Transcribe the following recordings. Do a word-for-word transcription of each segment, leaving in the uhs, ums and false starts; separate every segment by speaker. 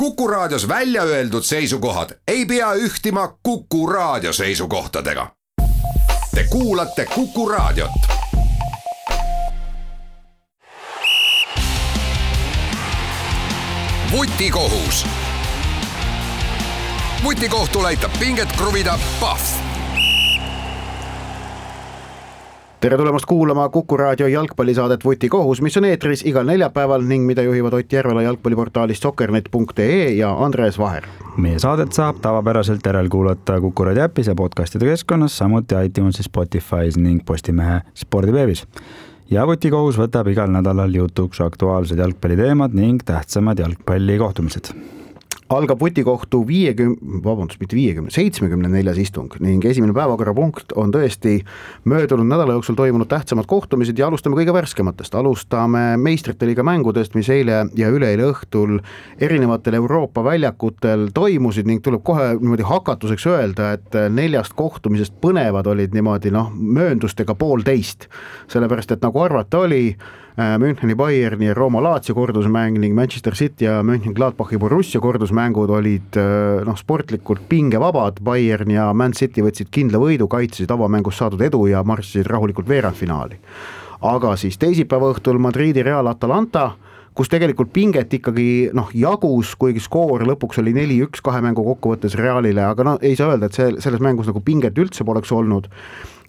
Speaker 1: Kuku Raadios välja öeldud seisukohad ei pea ühtima Kuku Raadio seisukohtadega. Te kuulate Kuku Raadiot. Vutikohus. Vutikohtul aitab pinget kruvida Pahv.
Speaker 2: Tere tulemast kuulama Kuku Raadio jalgpallisaadet Vutikohus, mis on eetris igal neljapäeval ning mida juhivad Ott Järvela jalgpalliportaalist soccernet punkt ee ja Andres Vaher.
Speaker 3: Meie saadet saab tavapäraselt järelkuulata Kuku Raadio äpis ja podcastide keskkonnas, samuti iTunesis, Spotify's ning Postimehe spordiveebis. Ja Vutikohus võtab igal nädalal jutuks aktuaalsed jalgpalliteemad ning tähtsamad jalgpallikohtumised.
Speaker 2: Algab Vutikohtu viiekümne, vabandust, mitte viiekümne, seitsmekümne neljas istung ning esimene päevakorrapunkt on tõesti möödunud nädala jooksul toimunud tähtsamad kohtumised ja alustame kõige värskematest. Alustame meistrite liiga mängudest, mis eile ja üleeile õhtul erinevatel Euroopa väljakutel toimusid ning tuleb kohe niimoodi hakatuseks öelda, et neljast kohtumisest põnevad olid niimoodi noh, mööndustega poolteist. Sellepärast, et nagu arvata oli, Müncheni Bayerni ja Rooma Lazio kordusmäng ning Manchester City ja Mönchengladbachi Borussia kordusmängud olid noh, sportlikult pingevabad. Bayern ja Man City võtsid kindla võidu, kaitsesid avamängus saadud edu ja marssisid rahulikult veerandfinaali. Aga siis teisipäeva õhtul Madridi Real Atalanta, kus tegelikult pinget ikkagi noh, jagus, kuigi skoor lõpuks oli neli üks kahe mängu kokkuvõttes Realile, aga no ei saa öelda, et see, selles mängus nagu pinget üldse poleks olnud.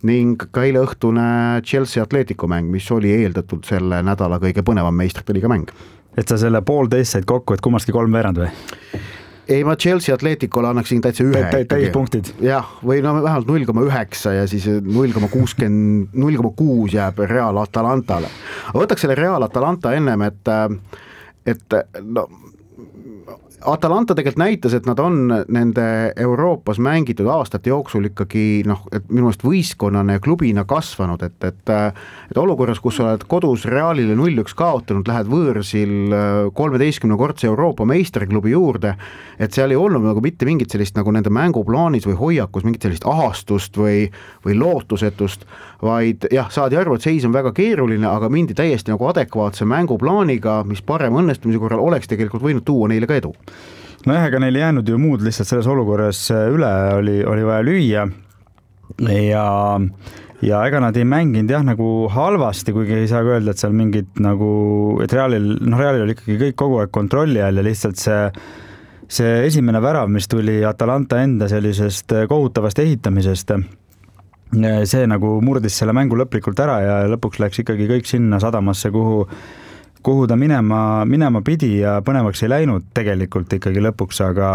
Speaker 2: Ning ka eile õhtune Chelsea Atletico mäng, mis oli eeldatud selle nädala kõige põnevam meistrite liiga mäng.
Speaker 3: Et sa selle poolteist said kokku, et kummastki kolm veerand või?
Speaker 2: Ei, ma Chelsea Atleticole annaksin täitsa ühe.
Speaker 3: Täis punktid.
Speaker 2: Jah, või no vähemalt null koma üheksa ja siis null koma kuuskümmend, null koma kuus jääb Real Atalantale. Võtaks selle Real Atalanta ennem, et, et no, Atalanta tegelikult näitas, et nad on nende Euroopas mängitud aastate jooksul ikkagi noh, et minu meelest võistkonnane ja klubina kasvanud, et, et, et olukorras, kus oled kodus Realile null üks kaotanud, lähed võõrsil kolmeteistkümne kordse Euroopa meistriklubi juurde, et seal ei olnud nagu mitte mingit sellist nagu nende mänguplaanis või hoiakus, mingit sellist ahastust või, või lootusetust, vaid jah, saadi arvu, et seis on väga keeruline, aga mindi täiesti nagu adekvaatse mänguplaaniga, mis parem õnnestumise korral oleks tegelikult võinud tuua neile ka edu.
Speaker 3: No jah, ega neil jäänud ju muud lihtsalt selles olukorras üle, oli, oli vaja lüüa ja, ja ega nad ei mänginud jah nagu halvasti, kuigi ei saa öelda, et seal mingid nagu, et Realil, no Realil oli ikkagi kõik kogu aeg kontrolli all ja lihtsalt see, see esimene värav, mis tuli Atalanta enda sellisest kohutavast ehitamisest, see nagu murdis selle mängu lõplikult ära ja lõpuks läks ikkagi kõik sinna sadamasse, kuhu kuhu ta minema, minema pidi ja põnevaks ei läinud tegelikult ikkagi lõpuks, aga,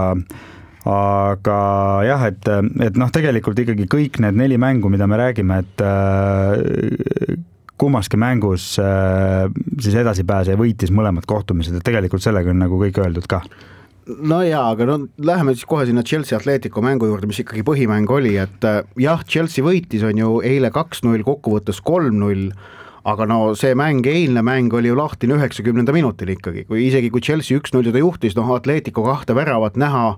Speaker 3: aga jah, et, et noh, tegelikult ikkagi kõik need neli mängu, mida me räägime, et äh, kummaski mängus äh, siis edasi pääse ja võitis mõlemad kohtumised, et tegelikult sellega on nagu kõik öeldud ka.
Speaker 2: No jaa, aga no läheme siis kohe sinna Chelsea Atletico mängu juurde, mis ikkagi põhimäng oli, et jah, Chelsea võitis on ju eile kaks null, kokkuvõttes kolm null, aga no see mäng, eilne mäng oli ju lahtine üheksakümnenda minutil ikkagi, kui isegi kui Chelsea üks null ta juhtis, noh Atletico kahte väravat näha,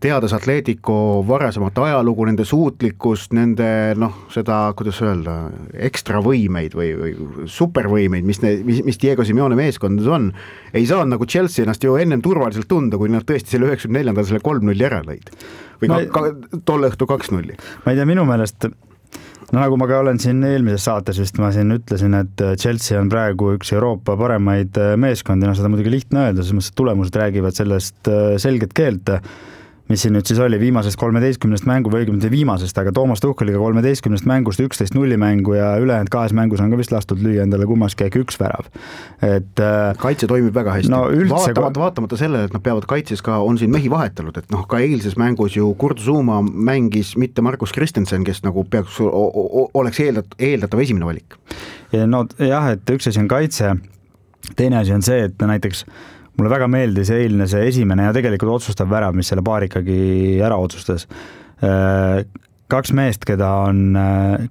Speaker 2: teades Atletico varasemat ajalugu, nende suutlikkust, nende noh, seda, kuidas öelda, ekstra võimeid või, või supervõimeid, mis, ne, mis, mis Diego Simeone meeskondades on, ei saa nagu Chelsea ennast ju ennem turvaliselt tunda, kui nad tõesti selle üheksakümne neljandal selle kolm null ära lõid. Või ka, ka, tolle õhtu kaks null.
Speaker 3: Ma ei tea, minu meelest no nagu ma ka olen siin eelmises saates, vist ma siin ütlesin, et Chelsea on praegu üks Euroopa paremaid meeskondi, no seda muidugi lihtne öelda, sest tulemused räägivad sellest selget keelt, mis siin nüüd siis oli viimasest kolmeteistkümnest mängu või õigemini viimasest, aga Toomas Tuhheliga kolmeteistkümnest mängust üksteist nulli mängu ja ülejäänud kahes mängus on ka vist lastud lüüa endale kummaski äkki üks värav. Et,
Speaker 2: kaitse toimib väga hästi.
Speaker 3: No üldse...
Speaker 2: vaatamata, vaatamata sellele, et nad peavad kaitses ka, on siin mehi vahetanud, et noh, ka eilses mängus ju Kurt Zouma mängis mitte Markus Christensen, kes nagu peaks, oleks eeldat, eeldatav esimene valik.
Speaker 3: Ja no jah, et üks asi on kaitse, teine asi on see, et näiteks mulle väga meeldis eilne see esimene ja tegelikult otsustav värav, mis selle paar ikkagi ära otsustas. Kaks meest, keda on,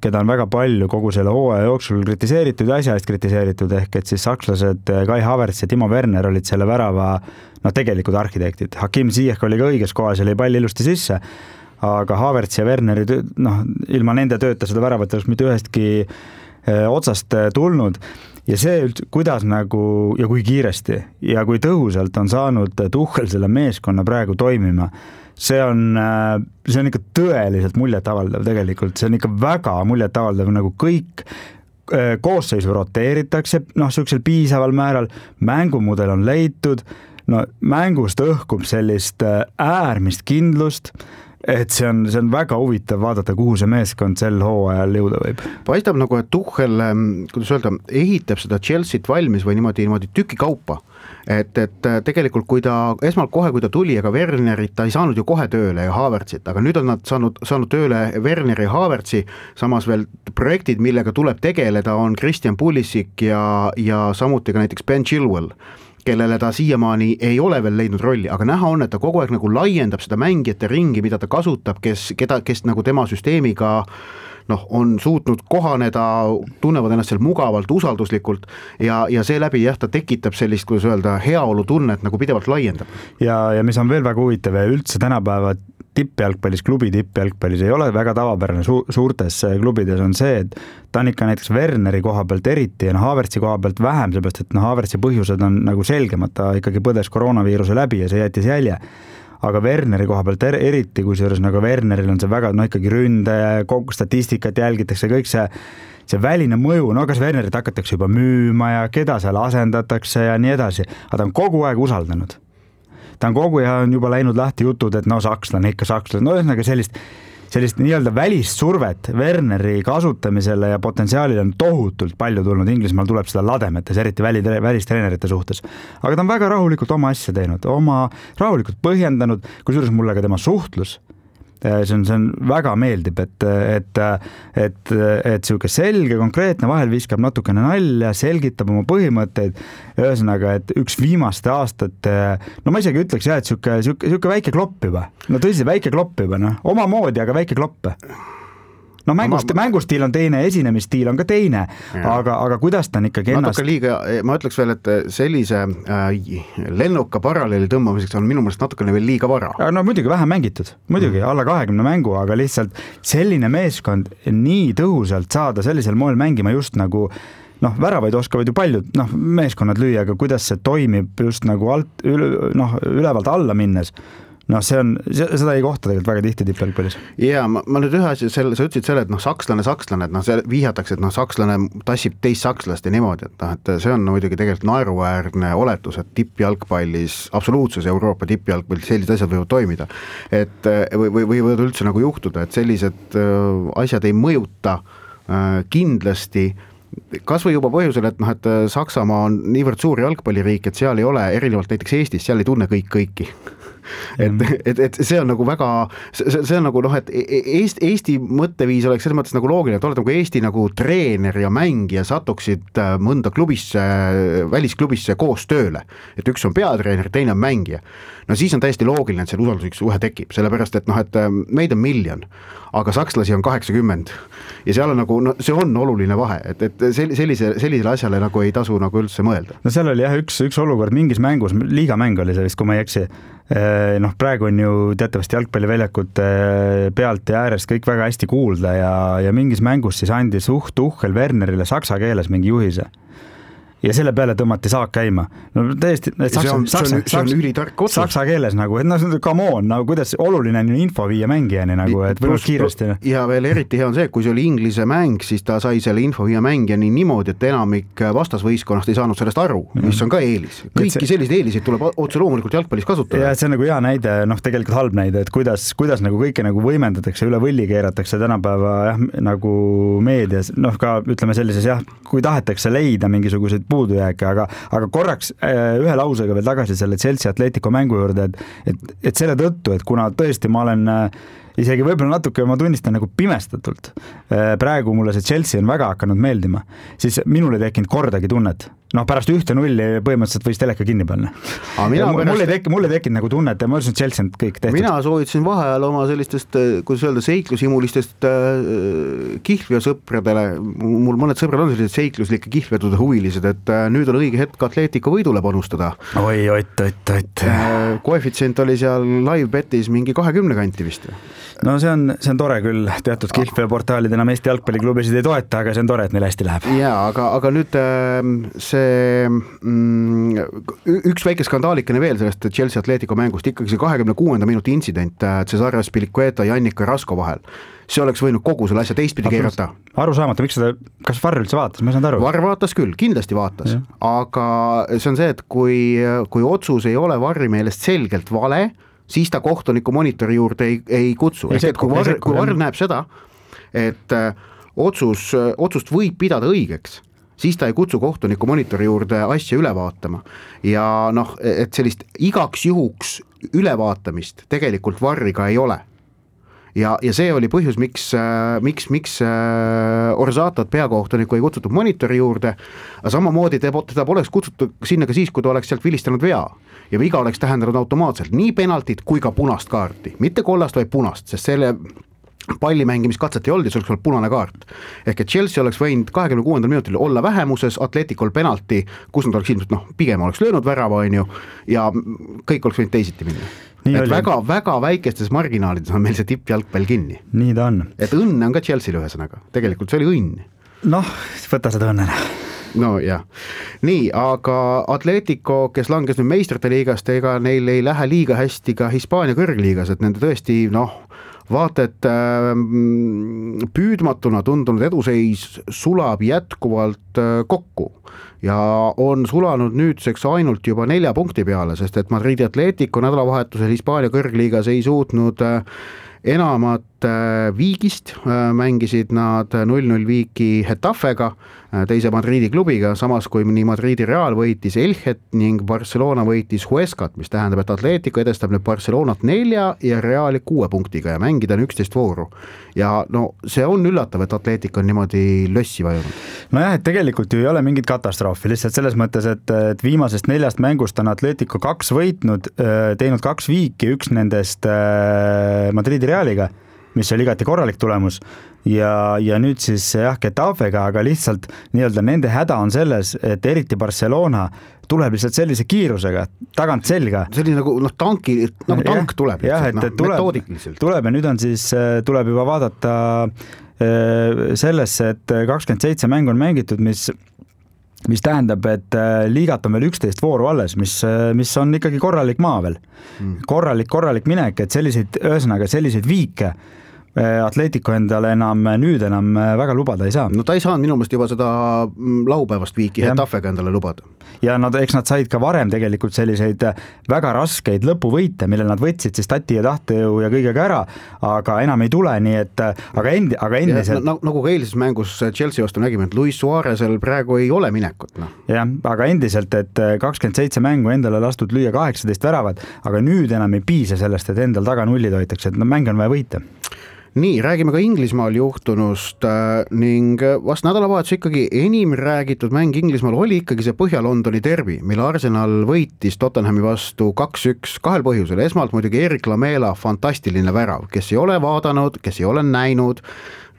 Speaker 3: keda on väga palju kogu selle hooaja jooksul kritiseeritud ja asja eest kritiseeritud, ehk et siis sakslased Kai Havertz ja Timo Werner olid selle värava no, tegelikult arhitektid. Hakim Ziyech oli ka õiges kohas ja oli pall ilusti sisse, aga Havertz ja Werneri, noh, ilma nende tööta seda väravat oleks mitte ühestki otsast tulnud. ja see üldse, kuidas nagu ja kui kiiresti ja kui tõhusalt on saanud Tuchel selle meeskonna praegu toimima, see on, see on ikka tõeliselt muljetavaldav tegelikult, see on ikka väga muljetavaldav, nagu kõik koosseisu roteeritakse, noh, sellisel piisaval määral, mängumudel on leitud, no mängust õhkub sellist äärmist kindlust, et see on, see on väga huvitav vaadata, kuhu see meeskond sel hooajal jõuda võib.
Speaker 2: Paistab nagu, et Tuchel, kuidas öelda, ehitab seda Chelsea't valmis või niimoodi, niimoodi tüki kaupa. Et, et tegelikult kui ta, esmalt kohe kui ta tuli, aga Wernerit ta ei saanud ju kohe tööle ja Havertzit, aga nüüd on nad saanud, saanud tööle Werneri ja Havertzi, samas veel projektid, millega tuleb tegeleda, on Christian Pulisic ja, ja samuti ka näiteks Ben Chilwell, kellele ta siiamaani ei ole veel leidnud rolli, aga näha on, et ta kogu aeg nagu laiendab seda mängijate ringi, mida ta kasutab, kes, keda, kes nagu tema süsteemiga noh, on suutnud kohaneda, tunnevad ennast seal mugavalt, usalduslikult ja, ja seeläbi jah, ta tekitab sellist, kuidas öelda, heaolu tunnet nagu pidevalt laiendab.
Speaker 3: Ja, ja mis on veel väga huvitav ja üldse tänapäeva tippjalgpallis, klubi tippjalgpallis ei ole väga tavapärane su suurtes klubides on see, et ta on ikka näiteks Werneri koha pealt eriti ja no Havertzi koha pealt vähem, seepärast et no Havertzi põhjused on nagu selgemad, ta ikkagi põdes koroonaviiruse läbi ja see jättis jälje. Aga Werneri koha pealt er eriti, kui seejuures nagu Werneril on see väga, no ikkagi ründe, kogu statistikat jälgitakse, kõik see, see väline mõju, no kas Wernerit hakatakse juba müüma ja keda seal asendatakse ja nii edasi, aga ta on kogu aeg usaldanud. Ta on kogu aeg on juba läinud lahti jutud, et no sakslane, ikka sakslane, no ühesõnaga sellist, sellist nii-öelda välist survet Werneri kasutamisele ja potentsiaalile on tohutult palju tulnud, Inglismaal tuleb seda lademetes, eriti väli, välistreenerite suhtes. Aga ta on väga rahulikult oma asja teinud, oma rahulikult põhjendanud, kusjuures mulle ka tema suhtlus, see on, see on väga meeldib, et, et, et, et siuke selge, konkreetne, vahel viskab natukene nalja, selgitab oma põhimõtteid, ühesõnaga, et üks viimaste aastate, no ma isegi ütleks jah, et siuke, siuke, siuke väike klopp juba, no tõsi, väike klopp juba, no, oma moodi, aga väike klopp. No mängust, ma, mängustiil on teine, esinemisstiil on ka teine, aga, aga kuidas ta on ikkagi ennast...
Speaker 2: Natuke liiga, ma ütleks veel, et sellise äh, lennuka paralleeli tõmbamiseks on minu meelest natukene veel liiga vara.
Speaker 3: No muidugi vähem mängitud, muidugi mm. alla kahekümne mängu, aga lihtsalt selline meeskond nii tõhusalt saada sellisel moel mängima just nagu noh, väravaid oskavad ju paljud noh, meeskonnad lüüa, aga kuidas see toimib just nagu alt, üle, noh, ülevalt alla minnes, no see on, seda ei kohta tegelikult väga tihti tippjalgpallis.
Speaker 2: Jaa, ma, ma nüüd ühe asja, selle, sa ütlesid selle, et noh, sakslane, sakslane, et noh, see vihjatakse, et noh, sakslane tassib teist sakslast ja niimoodi, et noh, et see on muidugi tegelikult naeruväärne oletus, et tippjalgpallis, absoluutses Euroopa tippjalgpallis sellised asjad võivad toimida. Et või, või, või võivad üldse nagu juhtuda, et sellised asjad ei mõjuta kindlasti kas või juba põhjusel, et noh, et Saksamaa on niivõrd suur jalgpalliriik, et seal ei ole, erinevalt näiteks Eestis, seal ei tunne kõik kõiki. Et, et, et see on nagu väga, see, see on nagu noh, et Eesti, Eesti mõtteviis oleks selles mõttes nagu loogiline, et oled nagu Eesti nagu treener ja mängija satuksid mõnda klubisse, välisklubisse koos tööle, et üks on peatreener, teine on mängija. No siis on täiesti loogiline, et seal usalduslik suhe tekib, sellepärast et noh, et meid on miljon, aga sakslasi on kaheksakümmend ja seal on nagu, no see on oluline vahe, et, et sellise, sellisele asjale nagu ei tasu nagu üldse mõelda.
Speaker 3: No seal oli jah üks, üks olukord mingis mängus, liigamäng oli see vist, kui ma ei eksi, noh praegu on ju teatavasti jalgpalliväljakute pealt ja äärest kõik väga hästi kuulda ja, ja mingis mängus siis andis Uht Tuchel Wernerile saksa keeles mingi juhise. Ja selle peale tõmmati saak käima. No täiesti, saksa,
Speaker 2: see on,
Speaker 3: saksa,
Speaker 2: see on ülitark otsus.
Speaker 3: Saksa keeles nagu, et no come on, nagu kuidas oluline on info viia mängijani nagu, et võimalik kiiresti.
Speaker 2: Ja veel eriti hea on see, kui see oli inglise mäng, siis ta sai selle info viia mängijani niimoodi, et enamik vastasvõistkonnast ei saanud sellest aru, mis on ka eelis. Kõiki selliseid eeliseid tuleb otse loomulikult jalgpallis kasutada.
Speaker 3: Ja see on nagu hea näide, noh tegelikult halb näide, et kuidas, kuidas nagu kõike nagu võimendatakse, üle võlli keeratakse tänapäeva jah, nagu meedias, noh ka ütleme sellises jah, kui tahetakse leida mingisuguseid puudujääke, aga, aga korraks ühe lausega veel tagasi selle Chelsea Atletico mängu juurde, et, et, et selle tõttu, et kuna tõesti ma olen isegi võib-olla natuke, ma tunnistan nagu pimestatult, praegu mulle see Chelsea on väga hakanud meeldima, siis minul ei tekkinud kordagi tunnet. Noh, pärast ühte nulli põhimõtteliselt võis teleka kinni panna. Pärast... Mulle ei tekkinud, mulle tekkinud nagu tunnet ja ma ütlesin, et Chelsea on kõik tehtud.
Speaker 2: Mina soovitasin vaheajal oma sellistest, kuidas öelda, seiklushimulistest äh, kihlveosõpradele, mul mõned sõbrad on sellised seikluslike kihlvedude huvilised, et äh, nüüd on õige hetk Atletico võidule panustada.
Speaker 3: Oi, oit, oit, oit.
Speaker 2: Äh, koefitsient oli seal live betis mingi kahekümne kanti vist.
Speaker 3: no see on, see on tore küll, teatud kihlveoportaalid enam Eesti jalgpalliklubisid ei toeta, aga see on tore, et neil hästi läheb.
Speaker 2: Jaa, aga, aga nüüd see mm, üks väike skandaalikene veel sellest Chelsea Atletico mängust, ikkagi see kahekümne kuuenda minuti intsident Cesare Spilicueta ja Annika Rasko vahel. See oleks võinud kogu selle asja teistpidi keerata.
Speaker 3: Aru saamata, miks seda, kas Varr üldse vaatas, ma ei saanud aru.
Speaker 2: Varr vaatas küll, kindlasti vaatas, ja. Aga see on see, et kui, kui otsus ei ole Varri meelest selgelt vale, siis ta kohtuniku monitori juurde ei, ei kutsu. Ehk et kui Varr, kui Varr näeb seda, et otsus, otsust võib pidada õigeks, siis ta ei kutsu kohtuniku monitori juurde asja üle vaatama. Ja noh, et sellist igaks juhuks ülevaatamist tegelikult Varriga ei ole. Ja, ja see oli põhjus, miks, miks, miks Orsatot peakohtuniku ei kutsutud monitori juurde, aga samamoodi teda poleks kutsutud sinna ka siis, kui ta oleks sealt vilistanud vea. Ja viga oleks tähendanud automaatselt nii penaltit kui ka punast kaarti. Mitte kollast, vaid punast, sest selle palli mängimiskatset ei olnud ja see oleks olnud punane kaart. Ehk et Chelsea oleks võinud kahekümne kuuendal minutil olla vähemuses, Atleticol penalti, kus nad oleks ilmselt, noh, pigem oleks löönud värava, on ju, ja kõik oleks võinud teisiti minna. Nii et oli. väga, väga väikestes marginaalides on meil see tippjalgpall kinni.
Speaker 3: Nii ta on.
Speaker 2: Et õnne on ka Chelsea'l ühesõnaga. Tegelikult see oli õnn.
Speaker 3: Noh, võta seda õnnena.
Speaker 2: No jah. Nii, aga Atletico, kes langes nüüd meistrite liigast, ega neil ei lähe liiga hästi ka Hispaania kõrgliigas, et nende tõesti, noh, vaata, et äh, püüdmatuna tundunud eduseis sulab jätkuvalt äh, kokku ja on sulanud nüüdseks ainult juba nelja punkti peale, sest et Madridi Atletico nädalavahetusel Hispaania kõrgliigas ei suutnud äh, enamat äh, viigist, äh, mängisid nad null null viiki Hetafega, äh, teise Madridi klubiga, samas kui nii Madridi Real võitis Elchet ning Barcelona võitis Huescat, mis tähendab, et Atletico edestab nüüd Barcelonat nelja ja Reali kuue punktiga ja mängida on üksteist vooru. Ja no see on üllatav, et Atletico on niimoodi lössi vajunud.
Speaker 3: Nojah, et tegelikult ju ei ole mingit katastroofi, lihtsalt selles mõttes, et, et viimasest neljast mängust on Atletico kaks võitnud, teinud kaks viiki, üks nendest Madridi Realiga, mis oli igati korralik tulemus ja, ja nüüd siis jah, Getafega, aga lihtsalt nii-öelda nende häda on selles, et eriti Barcelona tuleb lihtsalt sellise kiirusega, tagant selga.
Speaker 2: See oli nagu, noh, tanki, nagu tank ja, tuleb,
Speaker 3: jah, et,
Speaker 2: no,
Speaker 3: tuleb,
Speaker 2: metoodikliselt.
Speaker 3: Tuleb ja nüüd on siis, tuleb juba vaadata sellesse, et kakskümmend seitse mängu on mängitud, mis mis tähendab, et liigat on veel üksteist vooru alles, mis, mis on ikkagi korralik maa veel. Mm. Korralik, korralik minek, et selliseid, ühesõnaga selliseid viike Atletico endale enam nüüd enam väga lubada ei saa.
Speaker 2: No ta ei saanud minu meelest juba seda laupäevast viiki Hetafega endale lubada.
Speaker 3: Ja nad, eks nad said ka varem tegelikult selliseid väga raskeid lõpuvõite, mille nad võtsid siis tati ja tahtejõu ja kõigega ära, aga enam ei tule, nii et aga, endi, aga endiselt...
Speaker 2: Ja, nagu ka eilises mängus Chelsea vastu nägime, et Luis Suarez'el praegu ei ole minekut. No.
Speaker 3: Jah, aga endiselt, et kakskümmend seitse mängu endale lastud lüüa kaheksateist väravat, aga nüüd enam ei piisa sellest, et endal taga nullid hoitakse, et no, mäng on vaja võita.
Speaker 2: Nii, räägime ka Inglismaal juhtunust äh, ning vast nädalavahetus ikkagi enim räägitud mäng Inglismaal oli ikkagi see Põhja-Londoni derbi, mille Arsenal võitis Tottenhami vastu kaks üks kahel põhjusel. Esmalt muidugi Erik Lamela fantastiline värav, kes ei ole vaadanud, kes ei ole näinud,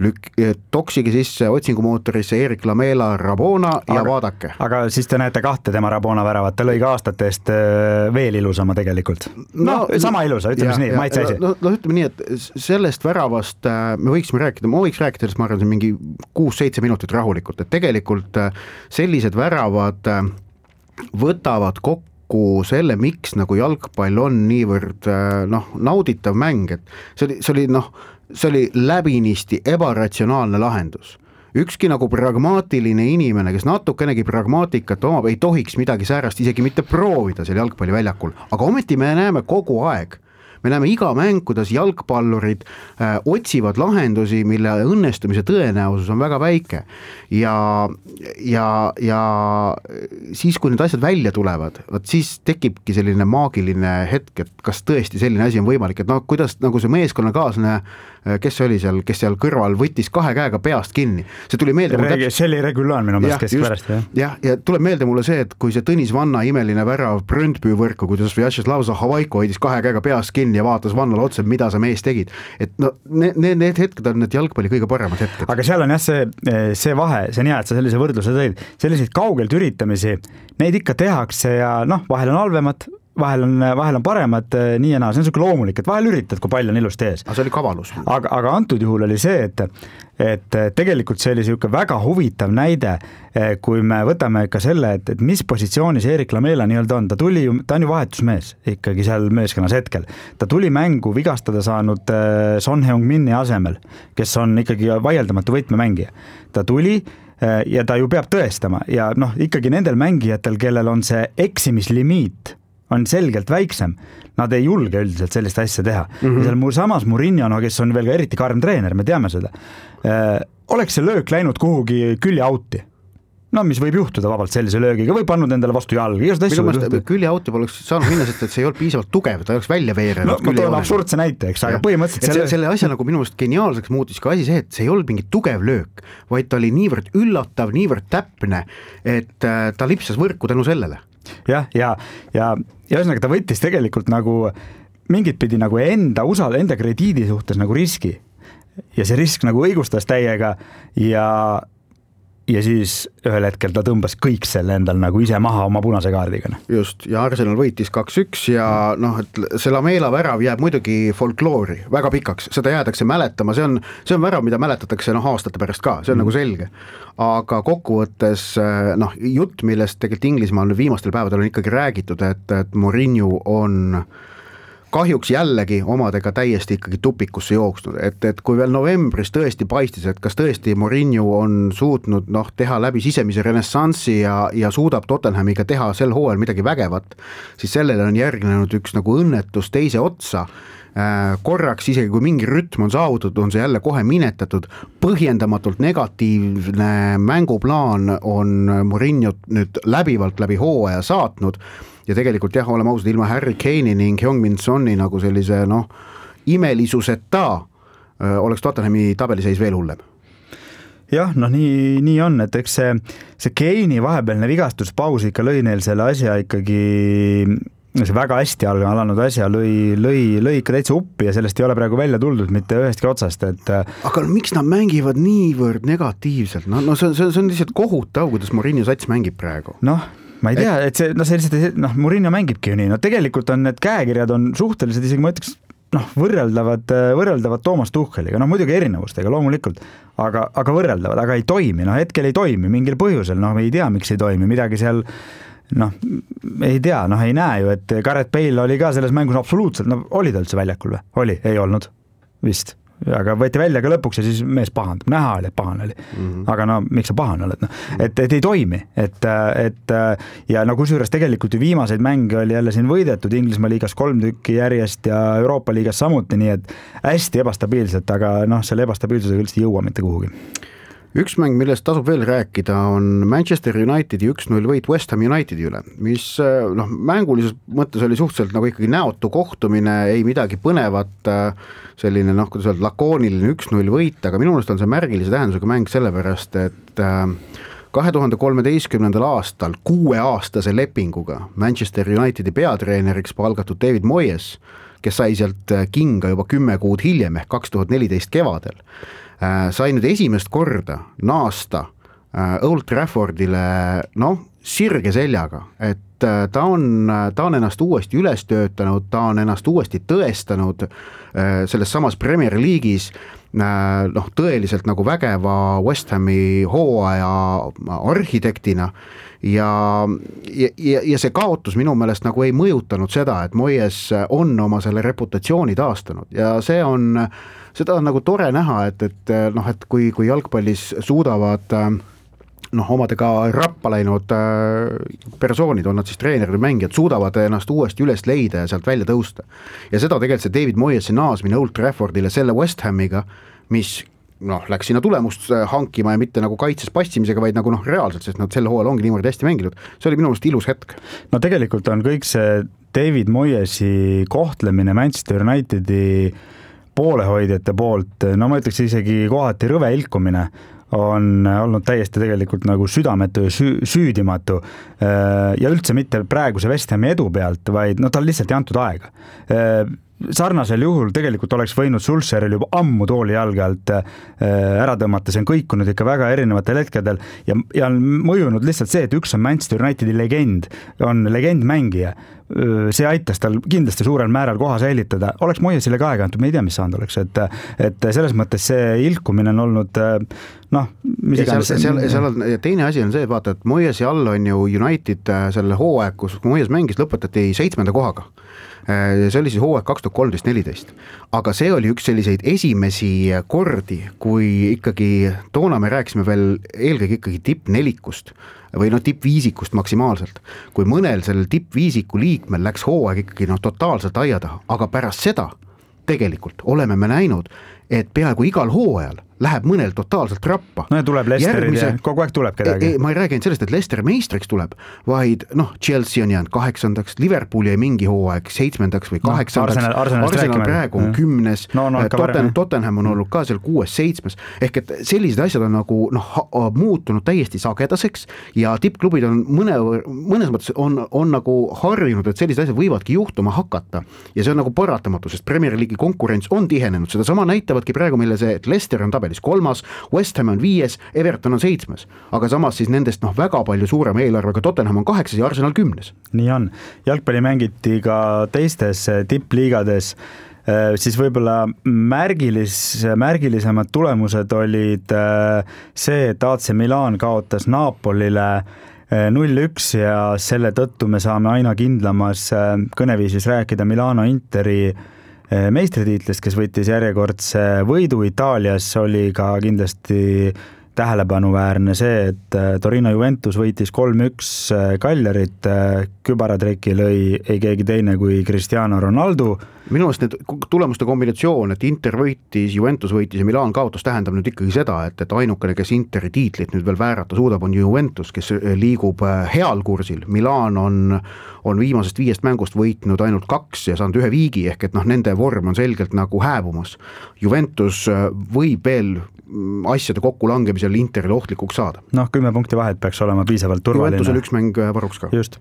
Speaker 2: lük- toksigi sisse otsingumootorisse Erik Lamela Rabona ja
Speaker 3: aga,
Speaker 2: vaadake.
Speaker 3: Aga siis te näete kahte tema Rabona väravat, ta lõi ka aastate eest veel ilusama tegelikult. No, no sama ilusa, ütleme nii, ma ei tsaisi.
Speaker 2: No, no ütleme nii, et sellest väravast me võiksime rääkida, ma võiks rääkida, ma arvan, mingi kuus-seitse minutit rahulikult, et tegelikult sellised väravad võtavad kokku selle, miks nagu jalgpall on niivõrd noh, nauditav mäng, et see oli, see oli noh, see oli läbinisti ebaratsionaalne lahendus. Ükski nagu pragmaatiline inimene, kes natukenegi pragmaatikat omab, ei tohiks midagi säärast isegi mitte proovida seal jalgpalliväljakul, aga ometi me näeme kogu aeg, me näeme iga mäng, kuidas jalgpallurid äh, otsivad lahendusi, mille õnnestumise tõenäosus on väga väike ja, ja, ja siis, kui need asjad välja tulevad, võt siis tekibki selline maagiline hetk, et kas tõesti selline asi on võimalik, et noh, kuidas nagu see meeskonnakaaslane, kes oli seal, kes seal kõrval võttis kahe käega peast kinni. See tuli meelde
Speaker 3: Reg- täpselt... see oli Regulaan minu meelest keskpärast.
Speaker 2: Ja. Ja, ja tuleb meelde mulle see, et kui see Tõnis Vanna imeline värav Brøndby võrku, kuidas Vyacheslav Zahovaiko hoidis kahe käega peast kinni ja vaatas Vannale otse, mida sa mees tegid. Et no, need, need hetked on need jalgpalli kõige paremad hetked.
Speaker 3: Aga seal on jah see, see vahe, see on hea, et sa sellise võrdluse tõid. Selliseid kaugelt üritamisi, neid ikka tehakse ja noh, vahel on halvemat, vahel on, vahel on paremad nii ja naa, see on selline loomulik, et vahel üritad, kui palju on ilusti ees.
Speaker 2: Aga see oli kavalus.
Speaker 3: Aga, aga antud juhul oli see, et, et tegelikult see oli selline väga huvitav näide, kui me võtame ka selle, et, et mis positsioonis Erik Lamela nii-öelda on. Ta tuli, ta on ju vahetusmees ikkagi seal meeskonnas hetkel. Ta tuli mängu vigastada saanud Son Heung-Mini asemel, kes on ikkagi vaieldamatu võtmemängija. Ta tuli ja ta ju peab tõestama ja noh, ikkagi nendel mängijatel, kellel on see eksimislimiit, on selgelt väiksem, nad ei julge üldiselt sellist asja teha. Mm -hmm. Ja seal mul samas Mourinho, no, kes on veel ka eriti karm treener, me teame seda, oleks see löök läinud kuhugi külje auti. No mis võib juhtuda vabalt sellise löögiga, või pannud endale vastu jalga.
Speaker 2: Külje auti poleks saanud minna, sest et see ei olnud piisavalt tugev, ta ei oleks välja veerenud.
Speaker 3: No, ma toon absurdse näite, eks, aga põhimõtteliselt
Speaker 2: selle... selle asja nagu minu meelest geniaalseks muutis ka asi see, et see ei olnud mingi tugev löök, vaid ta oli niivõrd üllatav, niivõrd täpne, et ta lipsas võrku tänu sellele.
Speaker 3: Jah, ja, ja, ja ühesõnaga ta võttis tegelikult nagu mingit pidi nagu enda usal, enda krediidi suhtes nagu riski. Ja see risk nagu õigustas täiega ja ja siis ühel hetkel ta tõmbas kõik selle endal nagu ise maha oma punase kaardiga.
Speaker 2: Just, ja Arsenal võitis kaks üks ja noh, et see Lamela värav jääb muidugi folkloori väga pikaks, seda jäädakse mäletama, see on, see on värav, mida mäletatakse noh, aastate pärast ka, see on mm. nagu selge. Aga kokkuvõttes noh, jutt, millest tegelikult Inglismaal viimastel päevadel on ikkagi räägitud, et, et Mourinho on kahjuks jällegi omadega täiesti ikkagi tupikusse jooksnud, et, et kui veel novembris tõesti paistis, et kas tõesti Mourinho on suutnud noh, teha läbi sisemise renessanssi ja, ja suudab Tottenhamiga teha sel hooajal midagi vägevat, siis sellele on järgnenud üks nagu õnnetus teise otsa. Korraks isegi kui mingi rütm on saavutatud, on see jälle kohe minetatud, põhjendamatult negatiivne mänguplaan on Mourinho nüüd läbivalt läbi hooaja saatnud ja tegelikult jah, oleme ausad, ilma Harry Kane'i ning Heung-Min Soni nagu sellise noh, imelisuseta oleks Tottenhami tabeliseis veel hullem.
Speaker 3: Jah, noh nii, nii on, et eks see, see Kane'i vahepealne vigastuspaus ikka lõi neil selle asja ikkagi see väga hästi alanud asja lõi, lõi, lõi ikka täitsa uppi ja sellest ei ole praegu välja tuldud mitte ühestki otsast. Et...
Speaker 2: Aga miks nad mängivad niivõrd negatiivselt? No, no see, see on lihtsalt kohutav, kuidas Mourinho sats mängib praegu.
Speaker 3: Noh, ma ei tea, et see, no see lihtsalt, noh, Mourinho mängibki ju nii. No tegelikult on need käekirjad on suhteliselt, isegi ma ütleks, noh, võrreldavad, võrreldavad Toomas Tucheliga, noh muidugi erinevustega loomulikult, aga, aga võrreldavad, aga ei toimi, noh hetkel ei toimi mingil põhjusel, noh ei tea, miks ei toimi, midagi seal noh, ei tea, noh ei näe ju, et Gareth Bale oli ka selles mängus absoluutselt, no oli ta üldse väljakul või? Oli, ei olnud, vist. Aga võeti välja ka lõpuks ja siis mees pahandab, näha oli, et pahan oli. Mm-hmm. Aga no, miks sa pahan oled? No? Et, et ei toimi, et, et ja no kusjuures tegelikult ju viimaseid mänge oli jälle siin võidetud Inglismaa liigas kolm tükki järjest ja Euroopa liigas samuti, nii et hästi ebastabiilselt, aga noh, selle ebastabiilsusega üldse ei jõua mitte kuhugi.
Speaker 2: Üks mäng, millest tasub veel rääkida, on Manchester Unitedi üks null võit West Ham Unitedi üle, mis noh, mängulises mõttes oli suhteliselt nagu ikkagi näotu kohtumine, ei midagi põnevat, selline noh, kuidas öelda, lakooniline üks null võit, aga minu meelest on see märgilise tähendusega mäng sellepärast, et kahe tuhande kolmeteistkümnendal aastal kuueaastase lepinguga Manchester Unitedi peatreeneriks palgatud David Moyes, kes sai sealt kinga juba kümme kuud hiljem ehk kaks tuhat neliteist kevadel, sai nüüd esimest korda naasta Old Traffordile noh, sirge seljaga, et ta on, ta on ennast uuesti üles töötanud, ta on ennast uuesti tõestanud selles samas Premier League'is noh, tõeliselt nagu vägeva West Hami hooaja arhitektina ja, ja, ja see kaotus minu meelest nagu ei mõjutanud seda, et Moyes on oma selle reputatsiooni taastanud ja see on seda on nagu tore näha, et, et noh, et kui, kui jalgpallis suudavad noh, omadega rappa läinud persoonid, on nad siis treenerid või mängijad, suudavad ennast uuesti üles leida ja sealt välja tõusta. Ja seda tegelikult see David Moyesi naasmine Old Traffordile selle West Hamiga, mis noh, läks sinna tulemust hankima ja mitte nagu kaitses passimisega, vaid nagu noh, reaalselt, sest nad selle hooajal ongi niimoodi hästi mänginud. See oli minu meelest ilus hetk.
Speaker 3: No tegelikult on kõik see David Moyesi kohtlemine Manchester Unitedi poolehoidjate poolt, no ma ütleks isegi kohati rõve ilkumine on olnud täiesti tegelikult nagu südametu ja süü, süüdimatu ja üldse mitte praeguse West Hami edu pealt, vaid no tal lihtsalt ei antud aega. sarnasel juhul tegelikult oleks võinud Sulsheril juba ammu tooli jalge alt ära tõmmata, see on kõikunud ikka väga erinevatel hetkedel ja, ja on mõjunud lihtsalt see, et üks on Manchester Unitedi legend, on legendmängija. See aitas tal kindlasti suurel määral koha säilitada. Oleks Moyesile ka aega antud, me ei tea, mis saanud oleks. Et, et selles mõttes see ilkumine on olnud, noh, mis iganes.
Speaker 2: Seal, seal, seal on, teine asi on see, et vaata, et Moyesi all on ju United selle hooaeg, kus Moyes mängis, lõpetati seitsmenda kohaga. See oli siis hooaeg kaks tuhat kolmteist neliteist. Aga see oli üks selliseid esimesi kordi, kui ikkagi toona me rääkisime veel eelkõige ikkagi tippnelikust või no tippviisikust maksimaalselt. Kui mõnel sellel tippviisiku liikmel läks hooaeg ikkagi no totaalselt aia taha, aga pärast seda tegelikult oleme me näinud, et peaaegu igal hooajal läheb mõnel totaalselt rappa.
Speaker 3: No ja tuleb Leicesterid ja kogu aeg tuleb kedagi.
Speaker 2: Ei, ma ei räägi sellest, et Leicester meistriks tuleb, vaid noh, Chelsea on jäänud kaheksandaks, Liverpool jäi mingi hooaeg seitsmendaks või kaheksandaks, no, Arsenal, Arsenal praegu on ja. kümnes, no, no, Totten, Tottenham on olnud ka seal kuues, seitsmes, ehk et sellised asjad on nagu noh, muutunud täiesti sagedaseks ja tippklubid on mõne, mõnes mõttes on, on nagu harjunud, et sellised asjad võivadki juhtuma hakata ja see on nagu paratamatu, sest Premier League'i konkurents on tihenenud, seda sama näitavadki praegu meile see, et Leicester on tabel kolmas, West Ham on viies, Everton on seitsmes, aga samas siis nendest noh, väga palju suurema eelarvega Tottenham on kaheksas ja Arsenal kümnes.
Speaker 3: Nii on. Jalgpalli mängiti ka teistes tippliigades, siis võib-olla märgilis, märgilisemad tulemused olid see, et A C Milan kaotas Napolile null üks ja selle tõttu me saame aina kindlamas kõneviisis rääkida Milano Interi meistritiitlist, kes võttis järjekordse võidu Itaalias, oli ka kindlasti tähelepanuväärne see, et Torino Juventus võitis kolm üks Cagliarit, kübaratreki lõi ei keegi teine kui Cristiano Ronaldo.
Speaker 2: Minu meelest need tulemuste kombinatsioon, et Inter võitis, Juventus võitis ja Milan kaotas, tähendab nüüd ikkagi seda, et, et ainukene, kes Interi tiitlit nüüd veel väärata suudab, on Juventus, kes liigub heal kursil. Milan on, on viimasest viiest mängust võitnud ainult kaks ja saanud ühe viigi, ehk et noh, nende vorm on selgelt nagu hääbumas. Juventus võib veel asjade kokku langemisel Interile ohtlikuks saada.
Speaker 3: Noh, kümme punkti vahet peaks olema piisavalt turvaline.
Speaker 2: Juventusel üks mäng varuks ka.
Speaker 3: Just.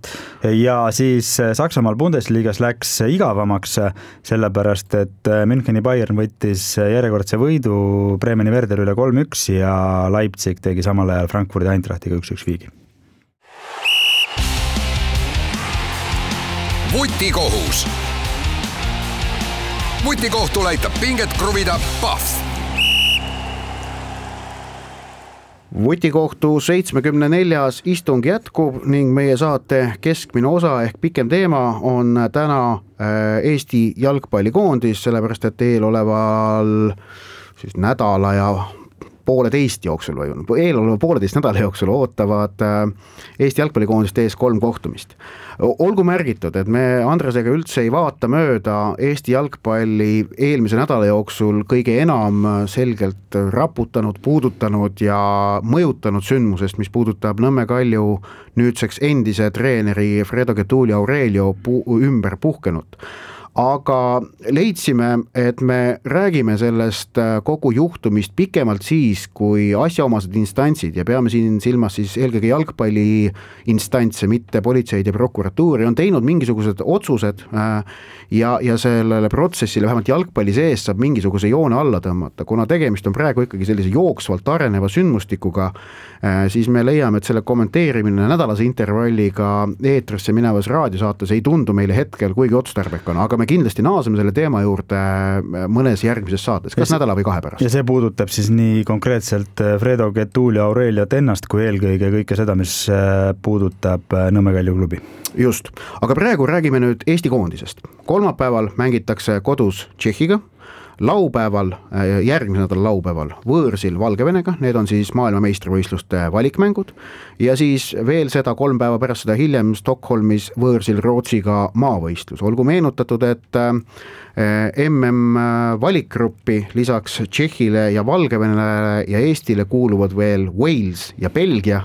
Speaker 3: Ja siis Saksamaal Bundesliigas läks igavamaks, sellepärast, et Müncheni Bayern võttis järjekordse võidu Bremeni Werder üle kolm üks ja Leipzig tegi samal ajal Frankfurdi Eintrachtiga üks üks viigi.
Speaker 1: Vutikohus. Vutikohtu aitab pinget kruvida Pahv.
Speaker 2: Vutikohtu seitsmekümne neljas istung jätkub ning meie saate keskmine osa ehk pikem teema on täna Eesti jalgpallikoondis, sellepärast et eeloleval siis nädala ja pooleteist jooksul või eeloleva pooleteist nädala jooksul ootavad Eesti jalgpallikoondist ees kolm kohtumist. Olgu märgitud, et me Andresega üldse ei vaata mööda Eesti jalgpalli eelmise nädala jooksul kõige enam selgelt raputanud, puudutanud ja mõjutanud sündmusest, mis puudutab Nõmme Kalju nüüdseks endise treeneri Fredo Getuli Aurelio pu- ümber puhkenut. Aga leidsime, et me räägime sellest kogu juhtumist pikemalt siis, kui asjaomased instantsid ja peame siin silmas siis eelkõige jalgpalli instantse, mitte politseid ja prokuratuuri, on teinud mingisugused otsused ja, ja sellele protsessile vähemalt jalgpalli sees saab mingisuguse joone alla tõmmata. Kuna tegemist on praegu ikkagi sellise jooksvalt areneva sündmustikuga, siis me leiame, et selle kommenteerimine nädalase intervalliga eetrisse minevas raadiosaates ei tundu meile hetkel kuigi otstarbekana, aga me kindlasti naaseme selle teema juurde mõnes järgmises saates, kas nädala või kahe pärast.
Speaker 3: Ja see puudutab siis nii konkreetselt Fredo Getuli Aureliat ennast kui eelkõige kõike seda, mis puudutab Nõmme Kalju klubi.
Speaker 2: Just, aga praegu räägime nüüd Eesti koondisest. Kolmapäeval mängitakse kodus Tšehhiga, laupäeval, järgmise nädala laupäeval võõrsil Valgevenega, need on siis maailmameistrivõistluste valikmängud ja siis veel seda kolm päeva pärast seda hiljem Stockholmis võõrsil Rootsiga maavõistlus. Olgu meenutatud, et M M valikgruppi lisaks Tšehhile ja Valgevenele ja Eestile kuuluvad veel Wales ja Belgia,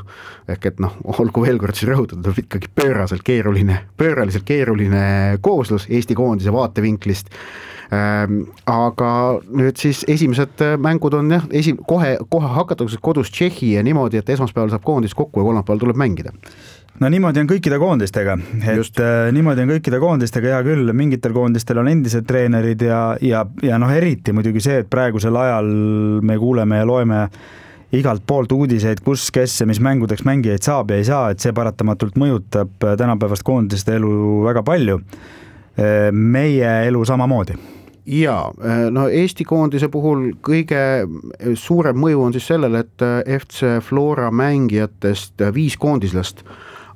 Speaker 2: ehk et noh, olgu veel kord siis rõhutatud, on ikkagi pööraselt keeruline, pööraliselt keeruline kooslus Eesti koondise vaatevinklist. Aga nüüd siis esimesed mängud on jah, esi, kohe, kohe hakatakse kodus Tšehhi ja niimoodi, et esmaspäeval saab koondis kokku ja kolmapäeval tuleb mängida.
Speaker 3: no niimoodi on kõikide koondistega, et Just. niimoodi on kõikide koondistega, hea küll, mingitel koondistel on endised treenerid ja, ja, ja noh, eriti muidugi see, et praegusel ajal me kuuleme ja loeme igalt poolt uudiseid, kus, kes ja mis mängudeks mängijaid saab ja ei saa, et see paratamatult mõjutab tänapäevast koondiste elu väga palju. Meie elu samamoodi.
Speaker 2: Jaa, no Eesti koondise puhul kõige suurem mõju on siis sellele, et F C Flora mängijatest viis koondislast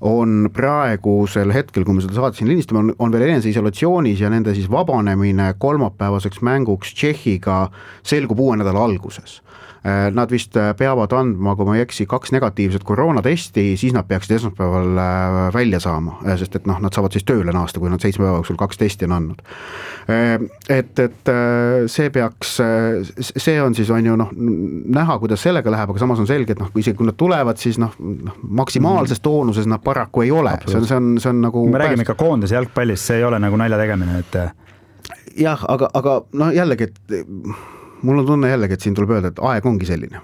Speaker 2: on praegusel hetkel, kui me seda saadet siin lindistame, on, on veel enese isolatsioonis ja nende siis vabanemine kolmapäevaseks mänguks Tšehhiga selgub uue nädala alguses. Nad vist peavad andma, kui ma ei eksi, kaks negatiivset koroonatesti, siis nad peaksid esmaspäeval välja saama, sest et noh, nad saavad siis tööle naasta, kui nad seitsme päeva jooksul kaks testi on andnud. Et, et see peaks, see on siis on ju noh, näha, kuidas sellega läheb, aga samas on selge, et noh, kui isegi kui nad tulevad, siis noh, maksimaalses toonuses nad paraku ei ole. See on, see on, see on nagu
Speaker 3: me räägime ikka koondes jalgpallist, see ei ole nagu nalja tegemine, et
Speaker 2: jah, aga, aga no jällegi, et mul on tunne jällegi, et siin tuleb öelda, et aeg ongi selline.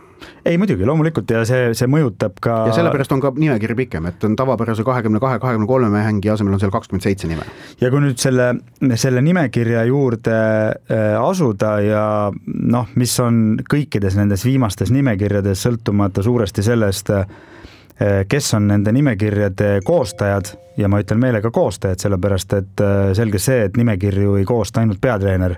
Speaker 3: Ei muidugi, loomulikult ja see, see mõjutab ka... Ja
Speaker 2: sellepärast on ka nimekiri pikem, et on tavapärase kahekümne kahe kahekümne kolme mängi asemel on seal kakskümmend seitse nime.
Speaker 3: Ja kui nüüd selle, selle nimekirja juurde asuda ja noh, mis on kõikides nendes viimastes nimekirjades sõltumata suuresti sellest, kes on nende nimekirjade koostajad ja ma ütlen meelega koostajad, sellepärast et selge see, et nimekirju ei koosta ainult peatreener,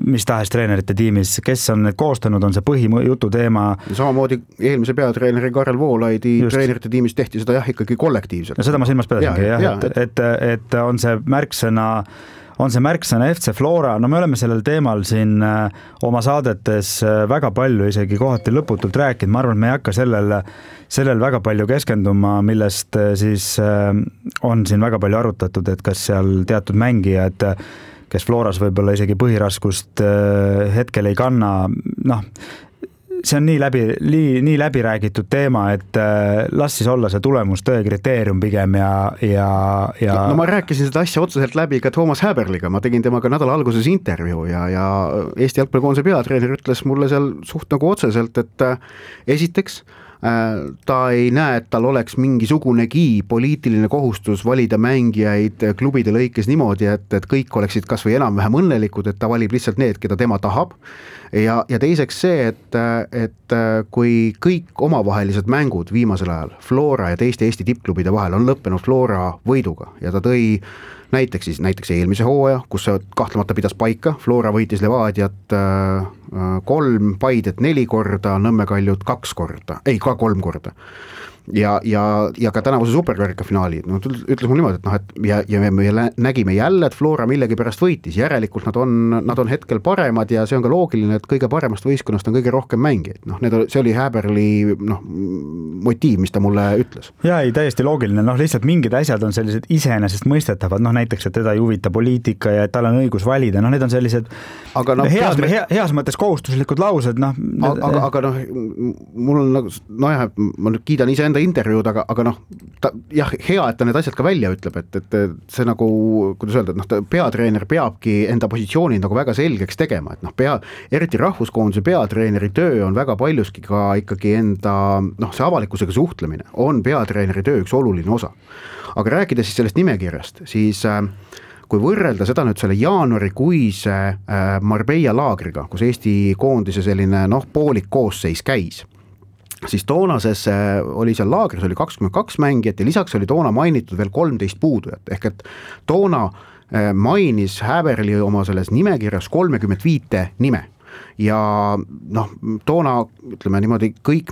Speaker 3: mis tahes treenerite tiimis, kes on need koostanud, on see põhijutu teema.
Speaker 2: Samamoodi eelmise peatreeneri Karel Voolaidi Just. Treenerite tiimis tehti seda jah ikkagi kollektiivselt.
Speaker 3: No seda ma silmas pedasingi, jah, jah, et, et, et on see märksõna on see märksõna F C Flora, no me oleme sellel teemal siin oma saadetes väga palju isegi kohati lõputult rääkinud, ma arvan, et me ei hakka sellel, sellel väga palju keskenduma, millest siis on siin väga palju arutatud, et kas seal teatud mängijad, kes Floras võib-olla isegi põhiraskust hetkel ei kanna, noh, see on nii läbi, nii, nii läbi räägitud teema, et las siis olla see tulemus tõe kriteerium pigem ja, ja, ja...
Speaker 2: No ma rääkisin seda asja otseselt läbi ka Toomas Häberliga, ma tegin temaga nädala alguses intervjuu ja, ja Eesti jalgpallikoondise peatreener ütles mulle seal suht nagu otseselt, et esiteks ta ei näe, et tal oleks mingisugunegi poliitiline kohustus valida mängijaid klubide lõikes niimoodi, et, et kõik oleksid kas või enam-vähem õnnelikud, et ta valib lihtsalt need, keda tema tahab. Ja, ja teiseks see, et, et kui kõik omavahelised mängud viimasel ajal Flora ja teiste Eesti tippklubide vahel on lõppenud Flora võiduga ja ta tõi näiteks siis näiteks eelmise hooaja, kus see kahtlemata pidas paika, Flora võitis Levadiat kolm, Paidet neli korda, Nõmme Kaljut kaks korda, ei ka kolm korda. Ja, ja, ja ka tänavuse superkarika finaali, no ütles mul niimoodi, et noh, et ja, ja me, me nägime jälle, et Flora millegi pärast võitis, järelikult nad on, nad on hetkel paremad ja see on ka loogiline, et kõige paremast võistkonnast on kõige rohkem mängijaid, noh, need, see oli Häberli noh, motiiv, mis ta mulle ütles.
Speaker 3: Ja ei, täiesti loogiline, noh lihtsalt mingid asjad on sellised iseenesest mõistetavad, noh näiteks, et teda ei huvita poliitika ja et tal on õigus valida, noh need on sellised aga no, heas, peadre... heas mõttes kohustuslikud laused, noh.
Speaker 2: Aga, aga, aga noh, mul on nagu, no jah, ma nüüd kiidan ise enda intervjuud, aga, aga noh, ta, jah, hea, et ta need asjad ka välja ütleb, et, et see nagu, kuidas öelda, et noh, peatreener peabki enda positsiooni nagu väga selgeks tegema, et noh, pea, eriti rahvuskoondise peatreeneri töö on väga paljuski ka ikkagi enda, noh, see avalikkusega suhtlemine on peatreeneri töö üks oluline osa. Aga rääkides siis sellest nimekirjast, siis äh, kui võrrelda seda nüüd selle jaanuarikuise äh, Marbella laagriga, kus Eesti koondise selline noh, poolik koosseis käis, siis toonases oli seal laagris oli kakskümmend kaks mängijat ja lisaks oli toona mainitud veel kolmteist puudujat, ehk et toona mainis Häberli oma selles nimekirjas kolmekümmend viite nime. Ja noh, toona ütleme niimoodi kõik,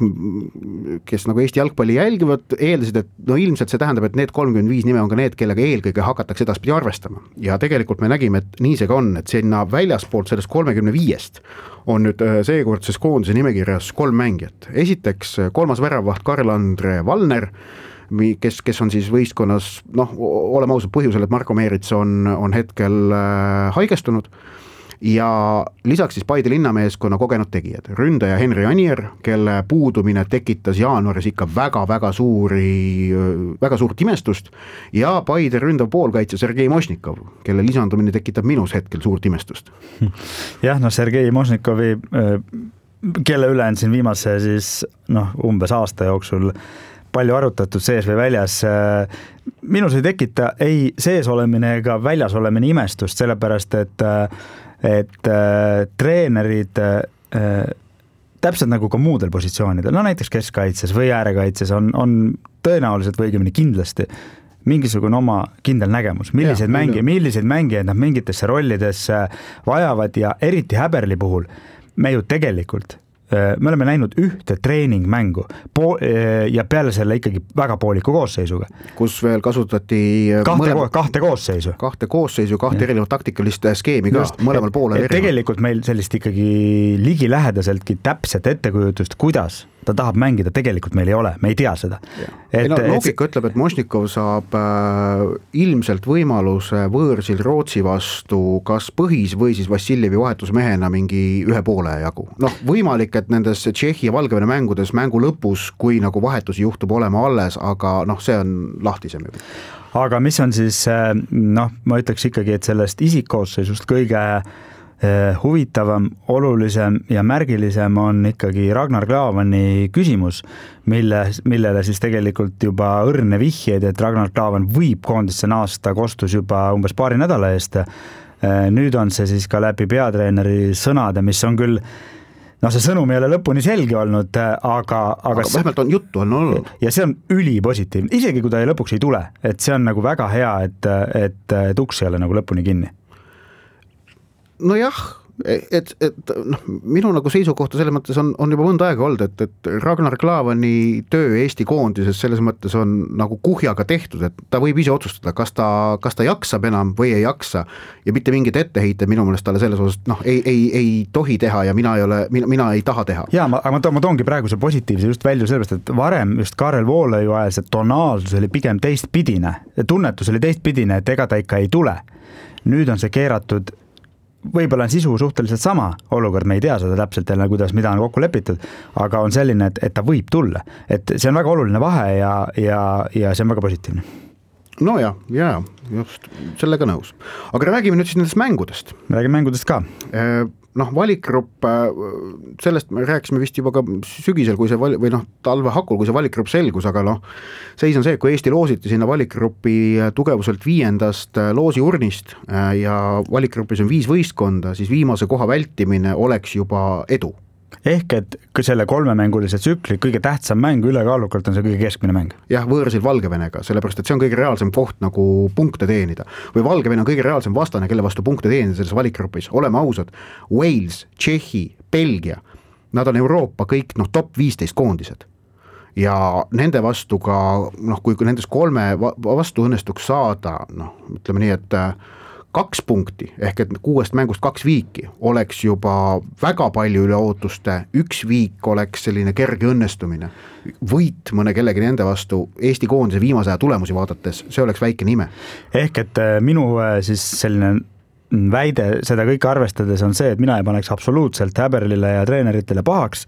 Speaker 2: kes nagu Eesti jalgpalli jälgivad, eeldasid, et no ilmselt see tähendab, et need kolmkümmend viis nime on ka need, kellega eelkõige hakatakse edaspidi arvestama. Ja tegelikult me nägime, et nii see ka on, et sinna väljaspoolt sellest kolmekümne viiest on nüüd seekordses koondise nimekirjas kolm mängijat. Esiteks kolmas väravaht Karl-Andre Valner, kes, kes on siis võistkonnas, noh, oleme ausad põhjusel, et Marko Meerits on, on hetkel haigestunud. Ja lisaks siis Paide linnameeskonna kogenud tegijad, ründaja Henri Anier, kelle puudumine tekitas jaanuaris ikka väga-väga suuri, väga suurt imestust ja Paide ründav poolkaitse Sergei Mošnikov, kelle lisandumine tekitab minus hetkel suurt imestust.
Speaker 3: Jah, no Sergei Mošnikovi, kelle üle on siin viimase siis noh, umbes aasta jooksul palju arutatud sees või väljas. Minus ei tekita ei sees olemine ega väljas olemine imestust, sellepärast et, et treenerid täpselt nagu ka muudel positsioonidel, no näiteks keskkaitses või äärekaitses on, on tõenäoliselt või õigemini kindlasti mingisugune oma kindel nägemus, milliseid, ja, mängi, milliseid mängijaid nad mingitesse rollidesse vajavad ja eriti Häberli puhul me ju tegelikult me oleme näinud ühte treeningmängu po- ja peale selle ikkagi väga pooliku koosseisuga.
Speaker 2: Kus veel kasutati
Speaker 3: kahte, mõlema, kahte koosseisu.
Speaker 2: Kahte koosseisu, kahte erinevat taktikalist skeemi ka, Just, mõlemal poolel erinevat.
Speaker 3: Tegelikult meil sellist ikkagi ligilähedaseltki täpset ettekujutust, kuidas ta tahab mängida, tegelikult meil ei ole, me ei tea seda.
Speaker 2: Et, no, loogika et... ütleb, et Mošnikov saab äh, ilmselt võimaluse võõrsil Rootsi vastu kas põhis või siis Vassiljevi vahetusmehena mingi ühe poole jagu. Noh, võimalik, et nendes Tšehhi ja Valgevene mängudes mängu lõpus, kui nagu vahetusi juhtub olema alles, aga noh, see on lahtisem juba.
Speaker 3: Aga mis on siis, noh, ma ütleks ikkagi, et sellest isikkoosseisust kõige huvitavam, olulisem ja märgilisem on ikkagi Ragnar Klavani küsimus, mille, millele siis tegelikult juba õrne vihjeid, et Ragnar Klavan võib koondisse naasta, kostus juba umbes paari nädala eest. Nüüd on see siis ka läbi peatreeneri sõnade, mis on küll, no see sõnum ei ole lõpuni selge olnud, aga, aga,
Speaker 2: aga vähemalt on juttu on olnud.
Speaker 3: Ja see on ülipositiivne, isegi kui ta ei lõpuks ei tule, et see on nagu väga hea, et, et, et uks ei ole nagu lõpuni kinni.
Speaker 2: Nojah, et, et noh, minu nagu seisukohta selles mõttes on, on juba mõnda aega olnud, et, et Ragnar Klavani töö Eesti koondises selles mõttes on nagu kuhjaga tehtud, et ta võib ise otsustada, kas ta, kas ta jaksab enam või ei jaksa ja mitte mingid etteheite minu meelest talle selles osas, noh, ei, ei, ei tohi teha ja mina ei ole, mina, mina ei taha teha.
Speaker 3: Jaa, ma, ma, to, ma toongi praegu see positiivse just välja sellepärast, et varem just Karel Voolaiu ajal see tonaalsus oli pigem teistpidine, tunnetus oli teistpidine, et ega ta ikka ei tule. Nüüd on see keeratud võib-olla on sisu suhteliselt sama olukord, me ei tea seda täpselt jälle, kuidas mida on kokku lepitud, aga on selline, et, et ta võib tulla. Et see on väga oluline vahe ja, ja, ja see on väga positiivne.
Speaker 2: No ja, ja, just sellega nõus. Aga räägime nüüd siis nendest mängudest.
Speaker 3: Me räägime mängudest ka.
Speaker 2: Noh, valikgrupp, sellest me rääkisime vist juba ka sügisel, kui see vali, või noh, talve hakul, kui see valikgrupp selgus, aga noh, seis on see, et kui Eesti loositi sinna valikgruppi tugevuselt viiendast loosiurnist ja valikgrupis on viis võistkonda, siis viimase koha vältimine oleks juba edu.
Speaker 3: Ehk et selle kolmemängulise tsükli kõige tähtsam mäng ülekaalukalt on see kõige keskmine mäng.
Speaker 2: Jah, võõrsil Valgevenega, sellepärast et see on kõige reaalsem koht nagu punkte teenida. Või Valgevene on kõige reaalsem vastane, kelle vastu punkte teenida selles valikgrupis. Oleme ausad, Wales, Tšehhi, Belgia, nad on Euroopa kõik noh, top viisteist koondised. Ja nende vastu ka, noh, kui nendes kolme vastu õnnestuks saada, noh, ütleme nii, et kaks punkti, ehk et kuuest mängust kaks viiki oleks juba väga palju üle ootuste, üks viik oleks selline kerge õnnestumine, võit mõne kellegi nende vastu Eesti koondise viimase aja tulemusi vaadates, see oleks väike nime.
Speaker 3: Ehk et minu siis selline väide seda kõike arvestades on see, et mina ei paneks absoluutselt Häberlile ja treeneritele pahaks,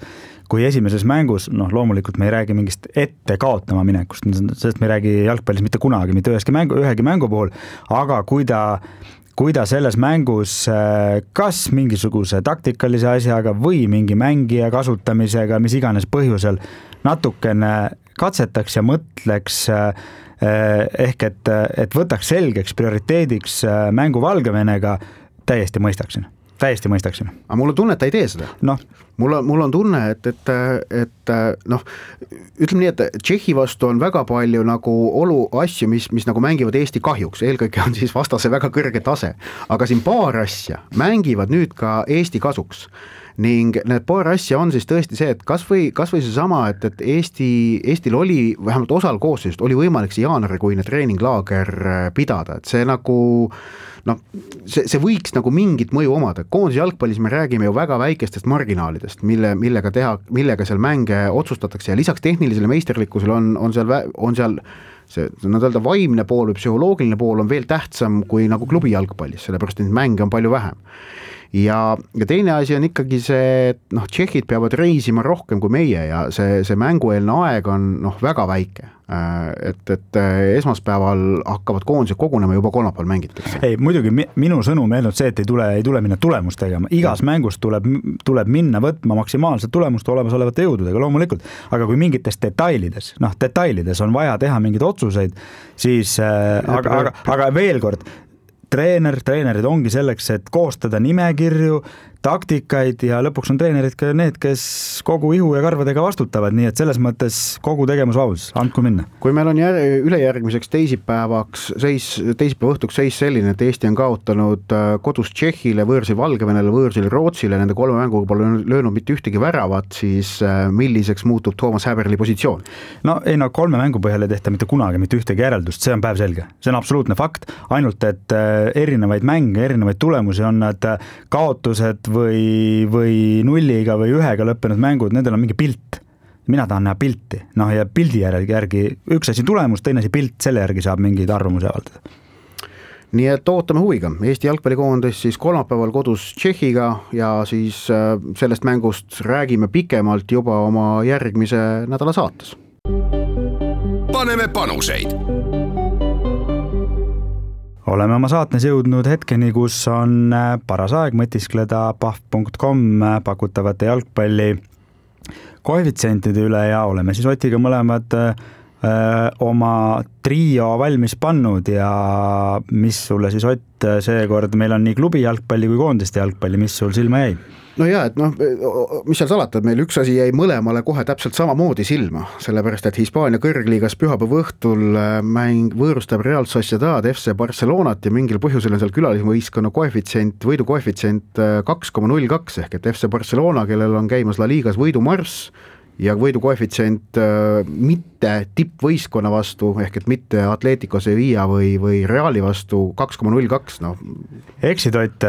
Speaker 3: kui esimeses mängus, noh loomulikult me ei räägi mingist ette kaotama minekust, sest me ei räägi jalgpallis mitte kunagi, mitte üheski mängu, ühegi mängu puhul, aga kui ta kui ta selles mängus kas mingisuguse taktikalise asjaga või mingi mängija kasutamisega, mis iganes põhjusel natukene katsetaks ja mõtleks ehk et, et võtaks selgeks prioriteediks mängu Valgevenega, täiesti mõistaksin. Täiesti mõistaksin.
Speaker 2: Aga mul on tunne, et ta ei tee seda.
Speaker 3: No.
Speaker 2: Mul on, mul on tunne, et, et, et noh, ütleme nii, et Tšehhi vastu on väga palju nagu olu asju, mis, mis nagu mängivad Eesti kahjuks. Eelkõige on siis vastase väga kõrge tase. Aga siin paar asja mängivad nüüd ka Eesti kasuks. Ning need paar asja on siis tõesti see, et kas või, kas või see sama, et, et Eesti, Eestil oli vähemalt osal koosseisust oli võimalik see jaanuarikuine treeninglaager pidada, et see nagu noh, see, see võiks nagu mingit mõju omada. Koondise jalgpallis me räägime ju väga väikestest marginaalidest, mille, millega teha, millega seal mänge otsustatakse ja lisaks tehnilisele meisterlikkusele on, on seal, on seal see, nad öelda vaimne pool või psühholoogiline pool on veel tähtsam kui nagu klubi jalgpallis, sellepärast neid mänge on palju vähem. ja, ja teine asi on ikkagi see, et noh, tšehhid peavad reisima rohkem kui meie ja see, see mängueelne aeg on noh, väga väike. Et, et esmaspäeval hakkavad koondised kogunema, juba kolmapäeval mängitakse.
Speaker 3: Ei, muidugi minu sõnum ei olnud see, et ei tule, ei tule minna tulemust tegema. Igas ja. mängus tuleb, tuleb minna võtma maksimaalset tulemust olemasolevate jõududega, loomulikult. Aga kui mingites detailides, noh, detailides on vaja teha mingeid otsuseid, siis, ja, aga, aga, aga veel kord, treener, treenerid ongi selleks, et koostada nimekirju, taktikaid ja lõpuks on treenerid ka need, kes kogu ihu ja karvadega vastutavad, nii et selles mõttes kogu tegevusvabadus, andku minna.
Speaker 2: Kui meil on jär, ülejärgmiseks teisipäevaks seis, teisipäeva õhtuks seis selline, et Eesti on kaotanud kodus Tšehhile, võõrsil Valgevenele, võõrsil Rootsile, nende kolme mänguga pole löönud mitte ühtegi väravat, siis milliseks muutub Toomas Häberli positsioon?
Speaker 3: No ei, no kolme mängu põhjal ei tehta mitte kunagi mitte ühtegi järeldust, see on päev selge, see on absoluutne fakt, ainult et erinevaid mänge, erinevaid tulemusi on nad kaotused või, või nulliga või ühega lõppenud mängud, nendel on mingi pilt. Mina tahan näha pilti, noh ja pildi järgi, järgi üks asi tulemus, teine asi pilt, selle järgi saab mingeid arvamusi avaldada.
Speaker 2: Nii et ootame huviga. Eesti jalgpallikoondis siis kolmapäeval kodus Tšehhiga ja siis sellest mängust räägime pikemalt juba oma järgmise nädala saates.
Speaker 1: Paneme panuseid.
Speaker 3: Oleme oma saatnes jõudnud hetkeni, kus on paras aeg mõtiskleda pahv punkt com pakutavate jalgpalli koefitsientide üle ja oleme siis Otiga mõlemad öö, oma trio valmis pannud ja mis sulle siis Ott seekord, meil on nii klubi jalgpalli kui koondiste jalgpalli, mis sul silma jäi?
Speaker 2: No jaa, et noh, mis seal salata, meil üks asi jäi mõlemale kohe täpselt samamoodi silma, sellepärast, et Hispaania kõrgliigas pühapäeva õhtul mäng võõrustab Real Sociedad F C Barcelonat ja mingil põhjusel on seal külalisvõistkonna koefitsient, võidu koefitsient kaks koma null kaks ehk et F C Barcelona, kellel on käimas La Ligas võidumarss ja võidu koefitsient äh, mitte tippvõistkonna vastu, ehk et mitte Atletico Sevilla või, või Reali vastu kaks koma null kaks, noh.
Speaker 3: Eksid Ott,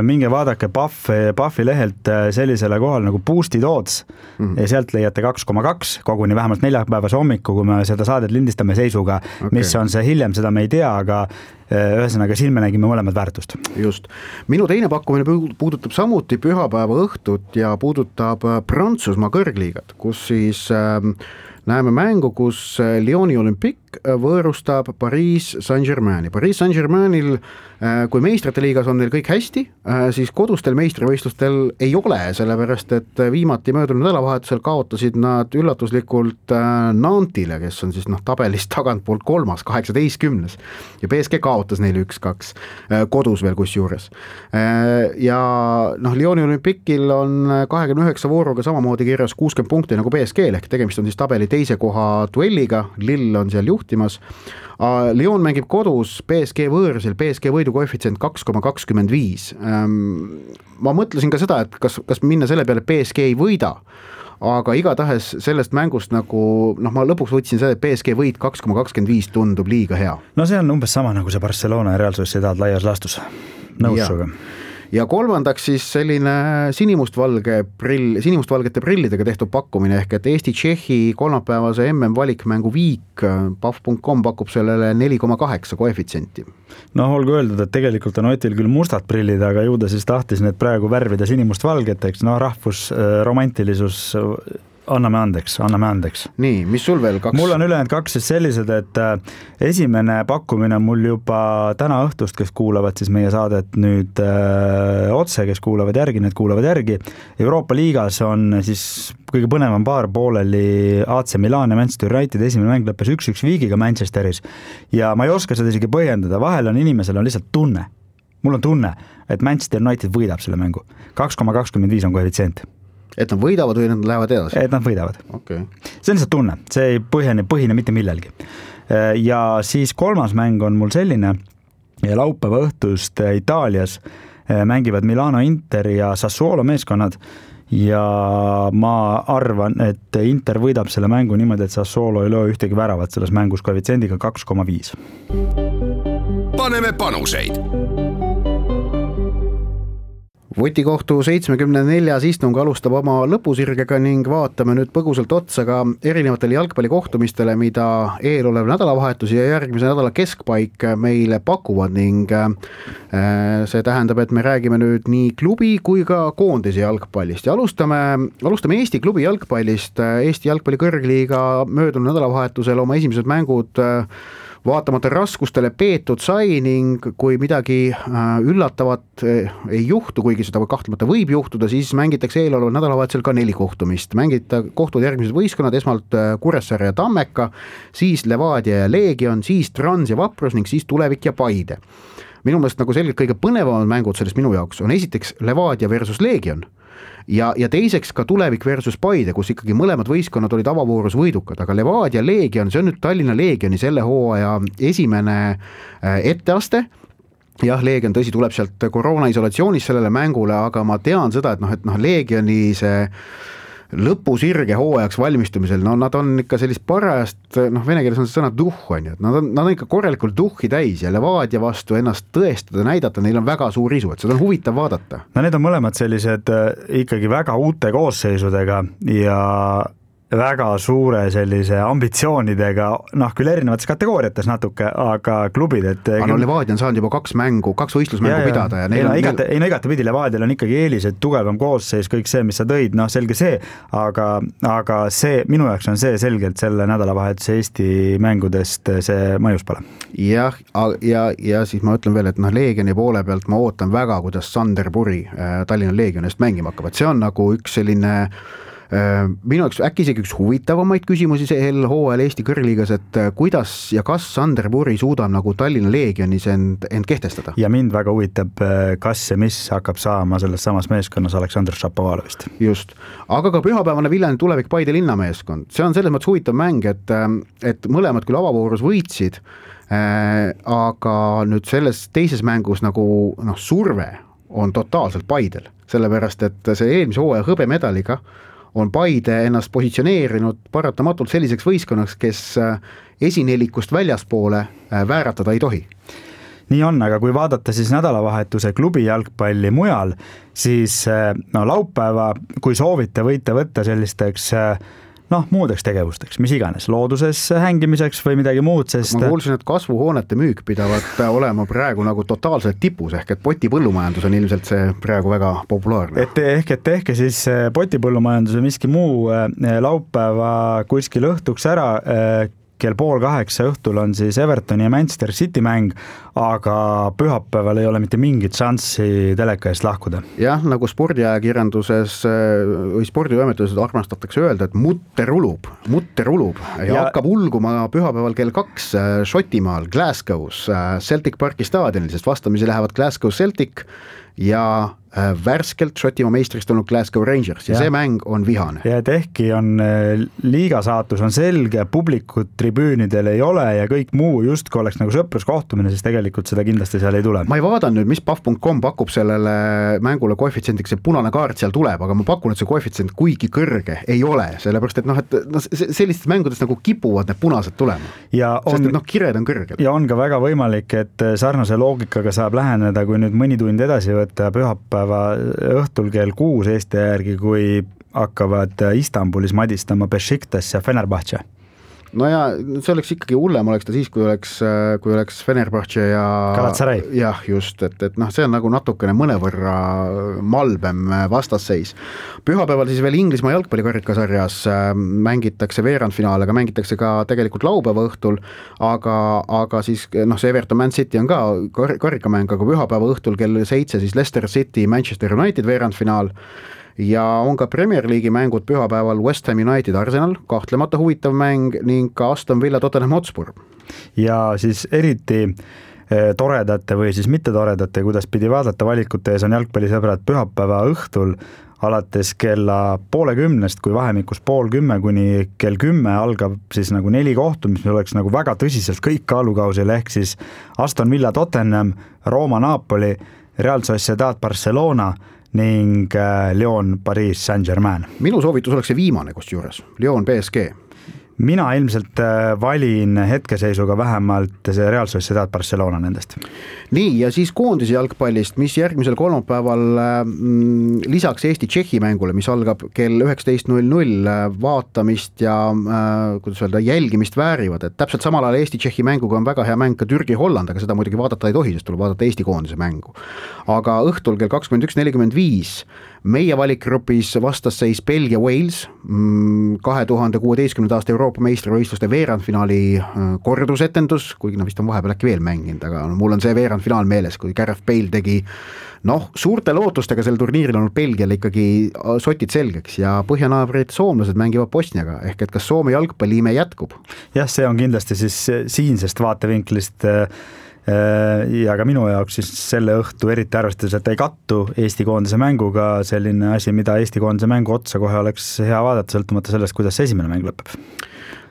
Speaker 3: minge vaadake Pahvi, Pahvi lehelt sellisele kohal nagu Boostid Odds mm-hmm. ja sealt leiate kaks koma kaks, koguni vähemalt neljapäevase hommiku, kui me seda saadet lindistame seisuga, okay. Mis on see hiljem, seda me ei tea, aga ühesõnaga siin me nägime mõlemad väärtust.
Speaker 2: Just. Minu teine pakkumine puudutab samuti pühapäeva õhtut ja puudutab Prantsusmaa kõrgliigat, kus siis äh, näeme mängu, kus Lyoni Olympique võõrustab Paris Saint-Germaini. Paris Saint-Germainil, kui meistrite liigas on neil kõik hästi, siis kodustel meistrivõistlustel ei ole, sellepärast et viimati möödunud nädalavahetusel kaotasid nad üllatuslikult Nantile, kes on siis noh, tabelist tagantpoolt kolmas, kaheksateistkümnes ja P S G kaotas neile üks kaks kodus veel kus juures. Ja noh, Lyoni Olympiquil on kahekümne üheksa vooruga samamoodi kirjas kuuskümmend punkti nagu P S G, ehk tegemist on siis tabeli teise koha duelliga, Lill on seal juhtimas. Lyon mängib kodus, P S G võõrsil, P S G võidu koefitsient kaks koma kakskümmend viis. Ma mõtlesin ka seda, et kas, kas minna selle peale, P S G ei võida, aga igatahes sellest mängust nagu, noh ma lõpuks võtsin seda, et P S G võit kaks koma kakskümmend viis tundub liiga hea.
Speaker 3: No see on umbes sama nagu see Barcelona ja Real Sociedad laias laastus. Nõus suga.
Speaker 2: Ja kolmandaks siis selline sinimustvalge prill, sinimustvalgete prillidega tehtud pakkumine, ehk et Eesti-Tšehhi kolmapäevase M M valikmängu viik, pahv punkt com pakub sellele neli koma kaheksa koefitsienti.
Speaker 3: No olgu öeldud, et tegelikult on Otil küll mustad prillid, aga ju ta siis tahtis need praegu värvida sinimustvalgeteks, no rahvus, romantilisus, anname andeks, anname andeks.
Speaker 2: Nii, mis sul veel kaks?
Speaker 3: Mul on ülejäänud kaks siis sellised, et esimene pakkumine mul juba täna õhtust, kes kuulavad siis meie saadet nüüd öö, otse, kes kuulavad järgi, need kuulavad järgi. Euroopa liigas on siis kõige põnevam paar pooleli A C Milan ja Manchester United, esimene mäng lõppes üks üks viigiga Manchesteris ja ma ei oska seda isegi põhjendada, vahel on inimesel on lihtsalt tunne, mul on tunne, et Manchester United võidab selle mängu, kaks koma kakskümmend viis on koefitsient.
Speaker 2: Et nad võidavad või nad lähevad edasi?
Speaker 3: Et nad võidavad.
Speaker 2: Okay.
Speaker 3: See on lihtsalt tunne, see ei põhjene, põhine mitte millelgi. Ja siis kolmas mäng on mul selline, ja laupäeva õhtust Itaalias mängivad Milano Inter ja Sassuolo meeskonnad ja ma arvan, et Inter võidab selle mängu niimoodi, et Sassuolo ei löö ühtegi väravat selles mängus koefitsiendiga kaks koma viis.
Speaker 1: Paneme panuseid.
Speaker 2: Vutikohtu seitsmekümne neljas istung alustab oma lõpusirgega ning vaatame nüüd põgusalt otsa ka erinevatele jalgpallikohtumistele, mida eelolev nädalavahetus ja järgmise nädala keskpaik meile pakuvad ning see tähendab, et me räägime nüüd nii klubi kui ka koondise jalgpallist ja alustame, alustame Eesti klubi jalgpallist. Eesti jalgpalli kõrgliiga möödunud nädalavahetusel oma esimesed mängud vaatamata raskustele peetud sai ning kui midagi üllatavat ei juhtu, kuigi seda kahtlemata võib juhtuda, siis mängitakse eeloleval nädalavahetusel ka neli kohtumist. Mängita kohtuvad järgmised võistkonnad, esmalt Kuressaare ja Tammeka, siis Levadia ja Leegion, siis Trans ja Vaprus ning siis Tulevik ja Paide. Minu meelest nagu selgelt kõige põnevamad mängud sellest minu jaoks on esiteks Levadia versus Leegion ja, ja teiseks ka Tulevik versus Paide, kus ikkagi mõlemad võistkonnad olid avavoorus võidukad, aga Levadia Leegion, see on nüüd Tallinna Leegioni selle hooaja esimene etteaste. Jah, Leegion tõsi tuleb sealt koroona isolatsioonis sellele mängule, aga ma tean seda, et noh, et noh, Leegioni see lõpusirge hooajaks valmistumisel, no nad on ikka sellist parajast, noh vene keeles on see sõna duh, on ju, et nad on, nad on ikka korralikult duhhi täis ja Levadia vastu ennast tõestada, näidata, neil on väga suur isu, et seda on huvitav vaadata.
Speaker 3: No need on mõlemad sellised ikkagi väga uute koosseisudega ja väga suure sellise ambitsioonidega, noh küll erinevates kategooriates natuke, aga klubid, et
Speaker 2: aga no Levadia on saanud juba kaks mängu, kaks võistlusmängu ja, pidada ja neil
Speaker 3: ei, no,
Speaker 2: on
Speaker 3: igate, ei no igate pidi Levadial on ikkagi eelised, tugevam koosseis, kõik see, mis sa tõid, noh selge see, aga, aga see, minu jaoks on see selgelt selle nädalavahetuse Eesti mängudest see mõjus pole. Jah,
Speaker 2: ja, ja siis ma ütlen veel, et noh Leegioni poole pealt ma ootan väga, kuidas Sander Puri Tallinna Leegionist mängima hakkab, et see on nagu üks selline minu jaoks äkki isegi üks huvitavamaid küsimusi sel hooajal Eesti kõrgliigas, et kuidas ja kas Sander Puri suudab nagu Tallinna Leegionis end, end kehtestada.
Speaker 3: Ja mind väga huvitab, kas ja mis hakkab saama selles samas meeskonnas Aleksandr Šapovalovist.
Speaker 2: Just, aga ka pühapäevane Viljandi Tulevik Paide linnameeskond, see on selles mõttes huvitav mäng, et, et mõlemad küll avavoorus võitsid, aga nüüd selles teises mängus nagu noh, surve on totaalselt Paidel, sellepärast et see eelmise hooaja hõbemedaliga on Paide ennast positsioneerinud paratamatult selliseks võistkonnaks, kes esinelikust väljaspoole vääratada ei tohi.
Speaker 3: Nii on, aga kui vaadata siis nädalavahetuse klubi jalgpalli mujal, siis no, laupäeva, kui soovite, võite võtta sellisteks noh, muudeks tegevusteks, mis iganes, looduses hängimiseks või midagi muud, sest
Speaker 2: ma kuulsin, et kasvuhoonete müük pidavat olema praegu nagu totaalselt tipus, ehk et potipõllumajandus on ilmselt see praegu väga populaarne.
Speaker 3: Et ehk, et ehk siis potipõllumajandus või miski muu laupäeva kuskil õhtuks ära, kell pool kaheksa õhtul on siis Evertoni ja Manchester City mäng, aga pühapäeval ei ole mitte mingit šanssi teleka eest lahkuda.
Speaker 2: Jah, nagu spordiajakirjanduses või spordivõimetuses armastatakse öelda, et mutter ulub, mutter ulub ja, ja hakkab ulguma pühapäeval kell kaks Šotimaal Glasgow's Celtic Parki staadionil, sest vastamisi lähevad Glasgow Celtic ja värskelt Šotimaa meistriks tulnud Glasgow Rangers ja, ja see mäng on vihane.
Speaker 3: Ja et ehkki on liiga saatus on selge, publikut tribüünidel ei ole ja kõik muu justkui oleks nagu sõpruskohtumine, siis tegelikult seda kindlasti seal ei tule.
Speaker 2: Ma ei vaadanud nüüd, mis pahv punkt com pakub sellele mängule koefitsiendiks, see punane kaart seal tuleb, aga ma pakun, et see koefitsient kuigi kõrge ei ole, sellepärast et noh, et no, sellistest mängudest nagu kipuvad need punased tulema. Ja on, sest et noh, kired on kõrgel.
Speaker 3: Ja on ka väga võimalik, et sarnase loogikaga saab läheneda, kui nüüd mõni tund edasi võtta pühapäeva õhtul kell kuus Eesti järgi, kui hakkavad Istanbulis madistama Besiktas ja Fenerbahce.
Speaker 2: No ja see oleks ikkagi hullem, oleks ta siis, kui oleks, kui oleks Fenerbahce ja
Speaker 3: Galatasaray.
Speaker 2: Jah, just, et, et noh, see on nagu natukene mõnevõrra malbem vastasseis. Pühapäeval siis veel Inglismaa jalgpallikarikasarjas mängitakse veerandfinaal, aga mängitakse ka tegelikult laupäeva õhtul, aga, aga siis noh, see Everton Man City on ka kar- karikamäng, aga pühapäeva õhtul kell seitse siis Leicester City Manchester United veerandfinaal. Ja on ka Premier League'i mängud pühapäeval West Ham United Arsenal, kahtlemata huvitav mäng ning ka Aston Villa Tottenham Hotspur.
Speaker 3: Ja siis eriti toredate või siis mitte toredate, kuidas pidi vaadata valikute ees on jalgpallisõbrad pühapäeva õhtul alates kella poole kümnest, kui vahemikus pool kümme kuni kell kümme algab siis nagu neli kohtumist, mis oleks nagu väga tõsiselt kõik kaalukausil, ehk siis Aston Villa Tottenham, Rooma Napoli, Real Sociedad Barcelona ning Lyon Paris Saint-Germain.
Speaker 2: Minu soovitus oleks see viimane kusjuures, Lyon P S G.
Speaker 3: mina ilmselt valin hetkeseisuga vähemalt see Real Sociedad Barcelona nendest.
Speaker 2: Nii, ja siis koondise jalgpallist, mis järgmisel kolmapäeval mm, lisaks Eesti-Tšehhi mängule, mis algab kell üheksateist null null, vaatamist ja äh, kuidas öelda, jälgimist väärivad, et täpselt samal ajal Eesti-Tšehhi mänguga on väga hea mäng ka Türgi-Holland, aga seda muidugi vaadata ei tohi, sest tuleb vaadata Eesti koondise mängu. Aga õhtul kell kakskümmend üks nelikümmend viis meie valikgrupis vastasseis Belgia-Wales, kahe tuhande kuueteistkümnenda aasta Euroopa meistrivõistluste veerandfinaali kordusetendus, kuigi no vist on vahepeal äkki veel mänginud, aga no, mul on see veerandfinaal meeles, kui Gareth Bale tegi noh, suurte lootustega sel turniiril on Belgial ikkagi sotid selgeks ja põhjanaabrid soomlased mängivad Bosniaga, ehk et kas Soome jalgpalliime jätkub?
Speaker 3: Jah, see on kindlasti siis siinsest vaatevinklist ja ka minu jaoks siis selle õhtu eriti arvestades, et ei kattu Eesti koondise mänguga selline asi, mida Eesti koondise mängu otsa kohe oleks hea vaadata, sõltumata sellest, kuidas see esimene mäng lõpeb.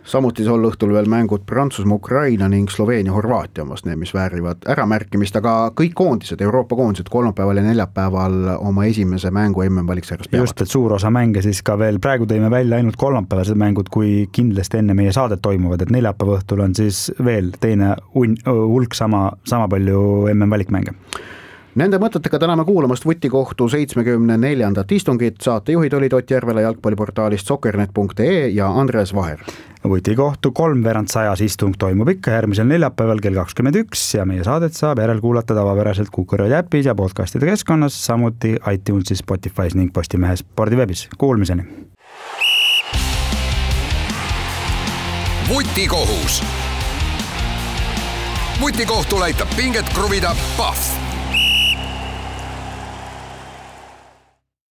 Speaker 2: Samuti sol õhtul veel mängud Prantsusmaa, Ukraina ning Sloveenia, Horvaatia omast, need, mis väärivad äramärkimist, aga kõik koondised, Euroopa koondised kolmapäeval ja neljapäeval oma esimese mängu M M-valiksarjas peavad. Just,
Speaker 3: et suur osa mänge siis ka veel, praegu tõime välja ainult kolmapäevased mängud, kui kindlasti enne meie saadet toimuvad, et neljapäeva õhtul on siis veel teine un- hulk sama, sama palju M M-valikmänge.
Speaker 2: Nende mõtetega täname kuulamast Vutikohtu seitsmekümne neljandat istungit, saatejuhid olid Ott Järvela jalgpalliportaalist soccernet punkt ee ja Andres Vaher.
Speaker 3: Vutikohtu kolmveerand sajas istung toimub ikka järgmisel neljapäeval kell kakskümmend üks ja meie saadet saab järelkuulata tavapäraselt Kuku Raadio äpis ja podcastide keskkonnas, samuti iTunesis, Spotify's ning Postimehes spordiveebis. Kuulmiseni!
Speaker 1: Vutikohus. Vutikohtul aitab pinget kruvida Pahv.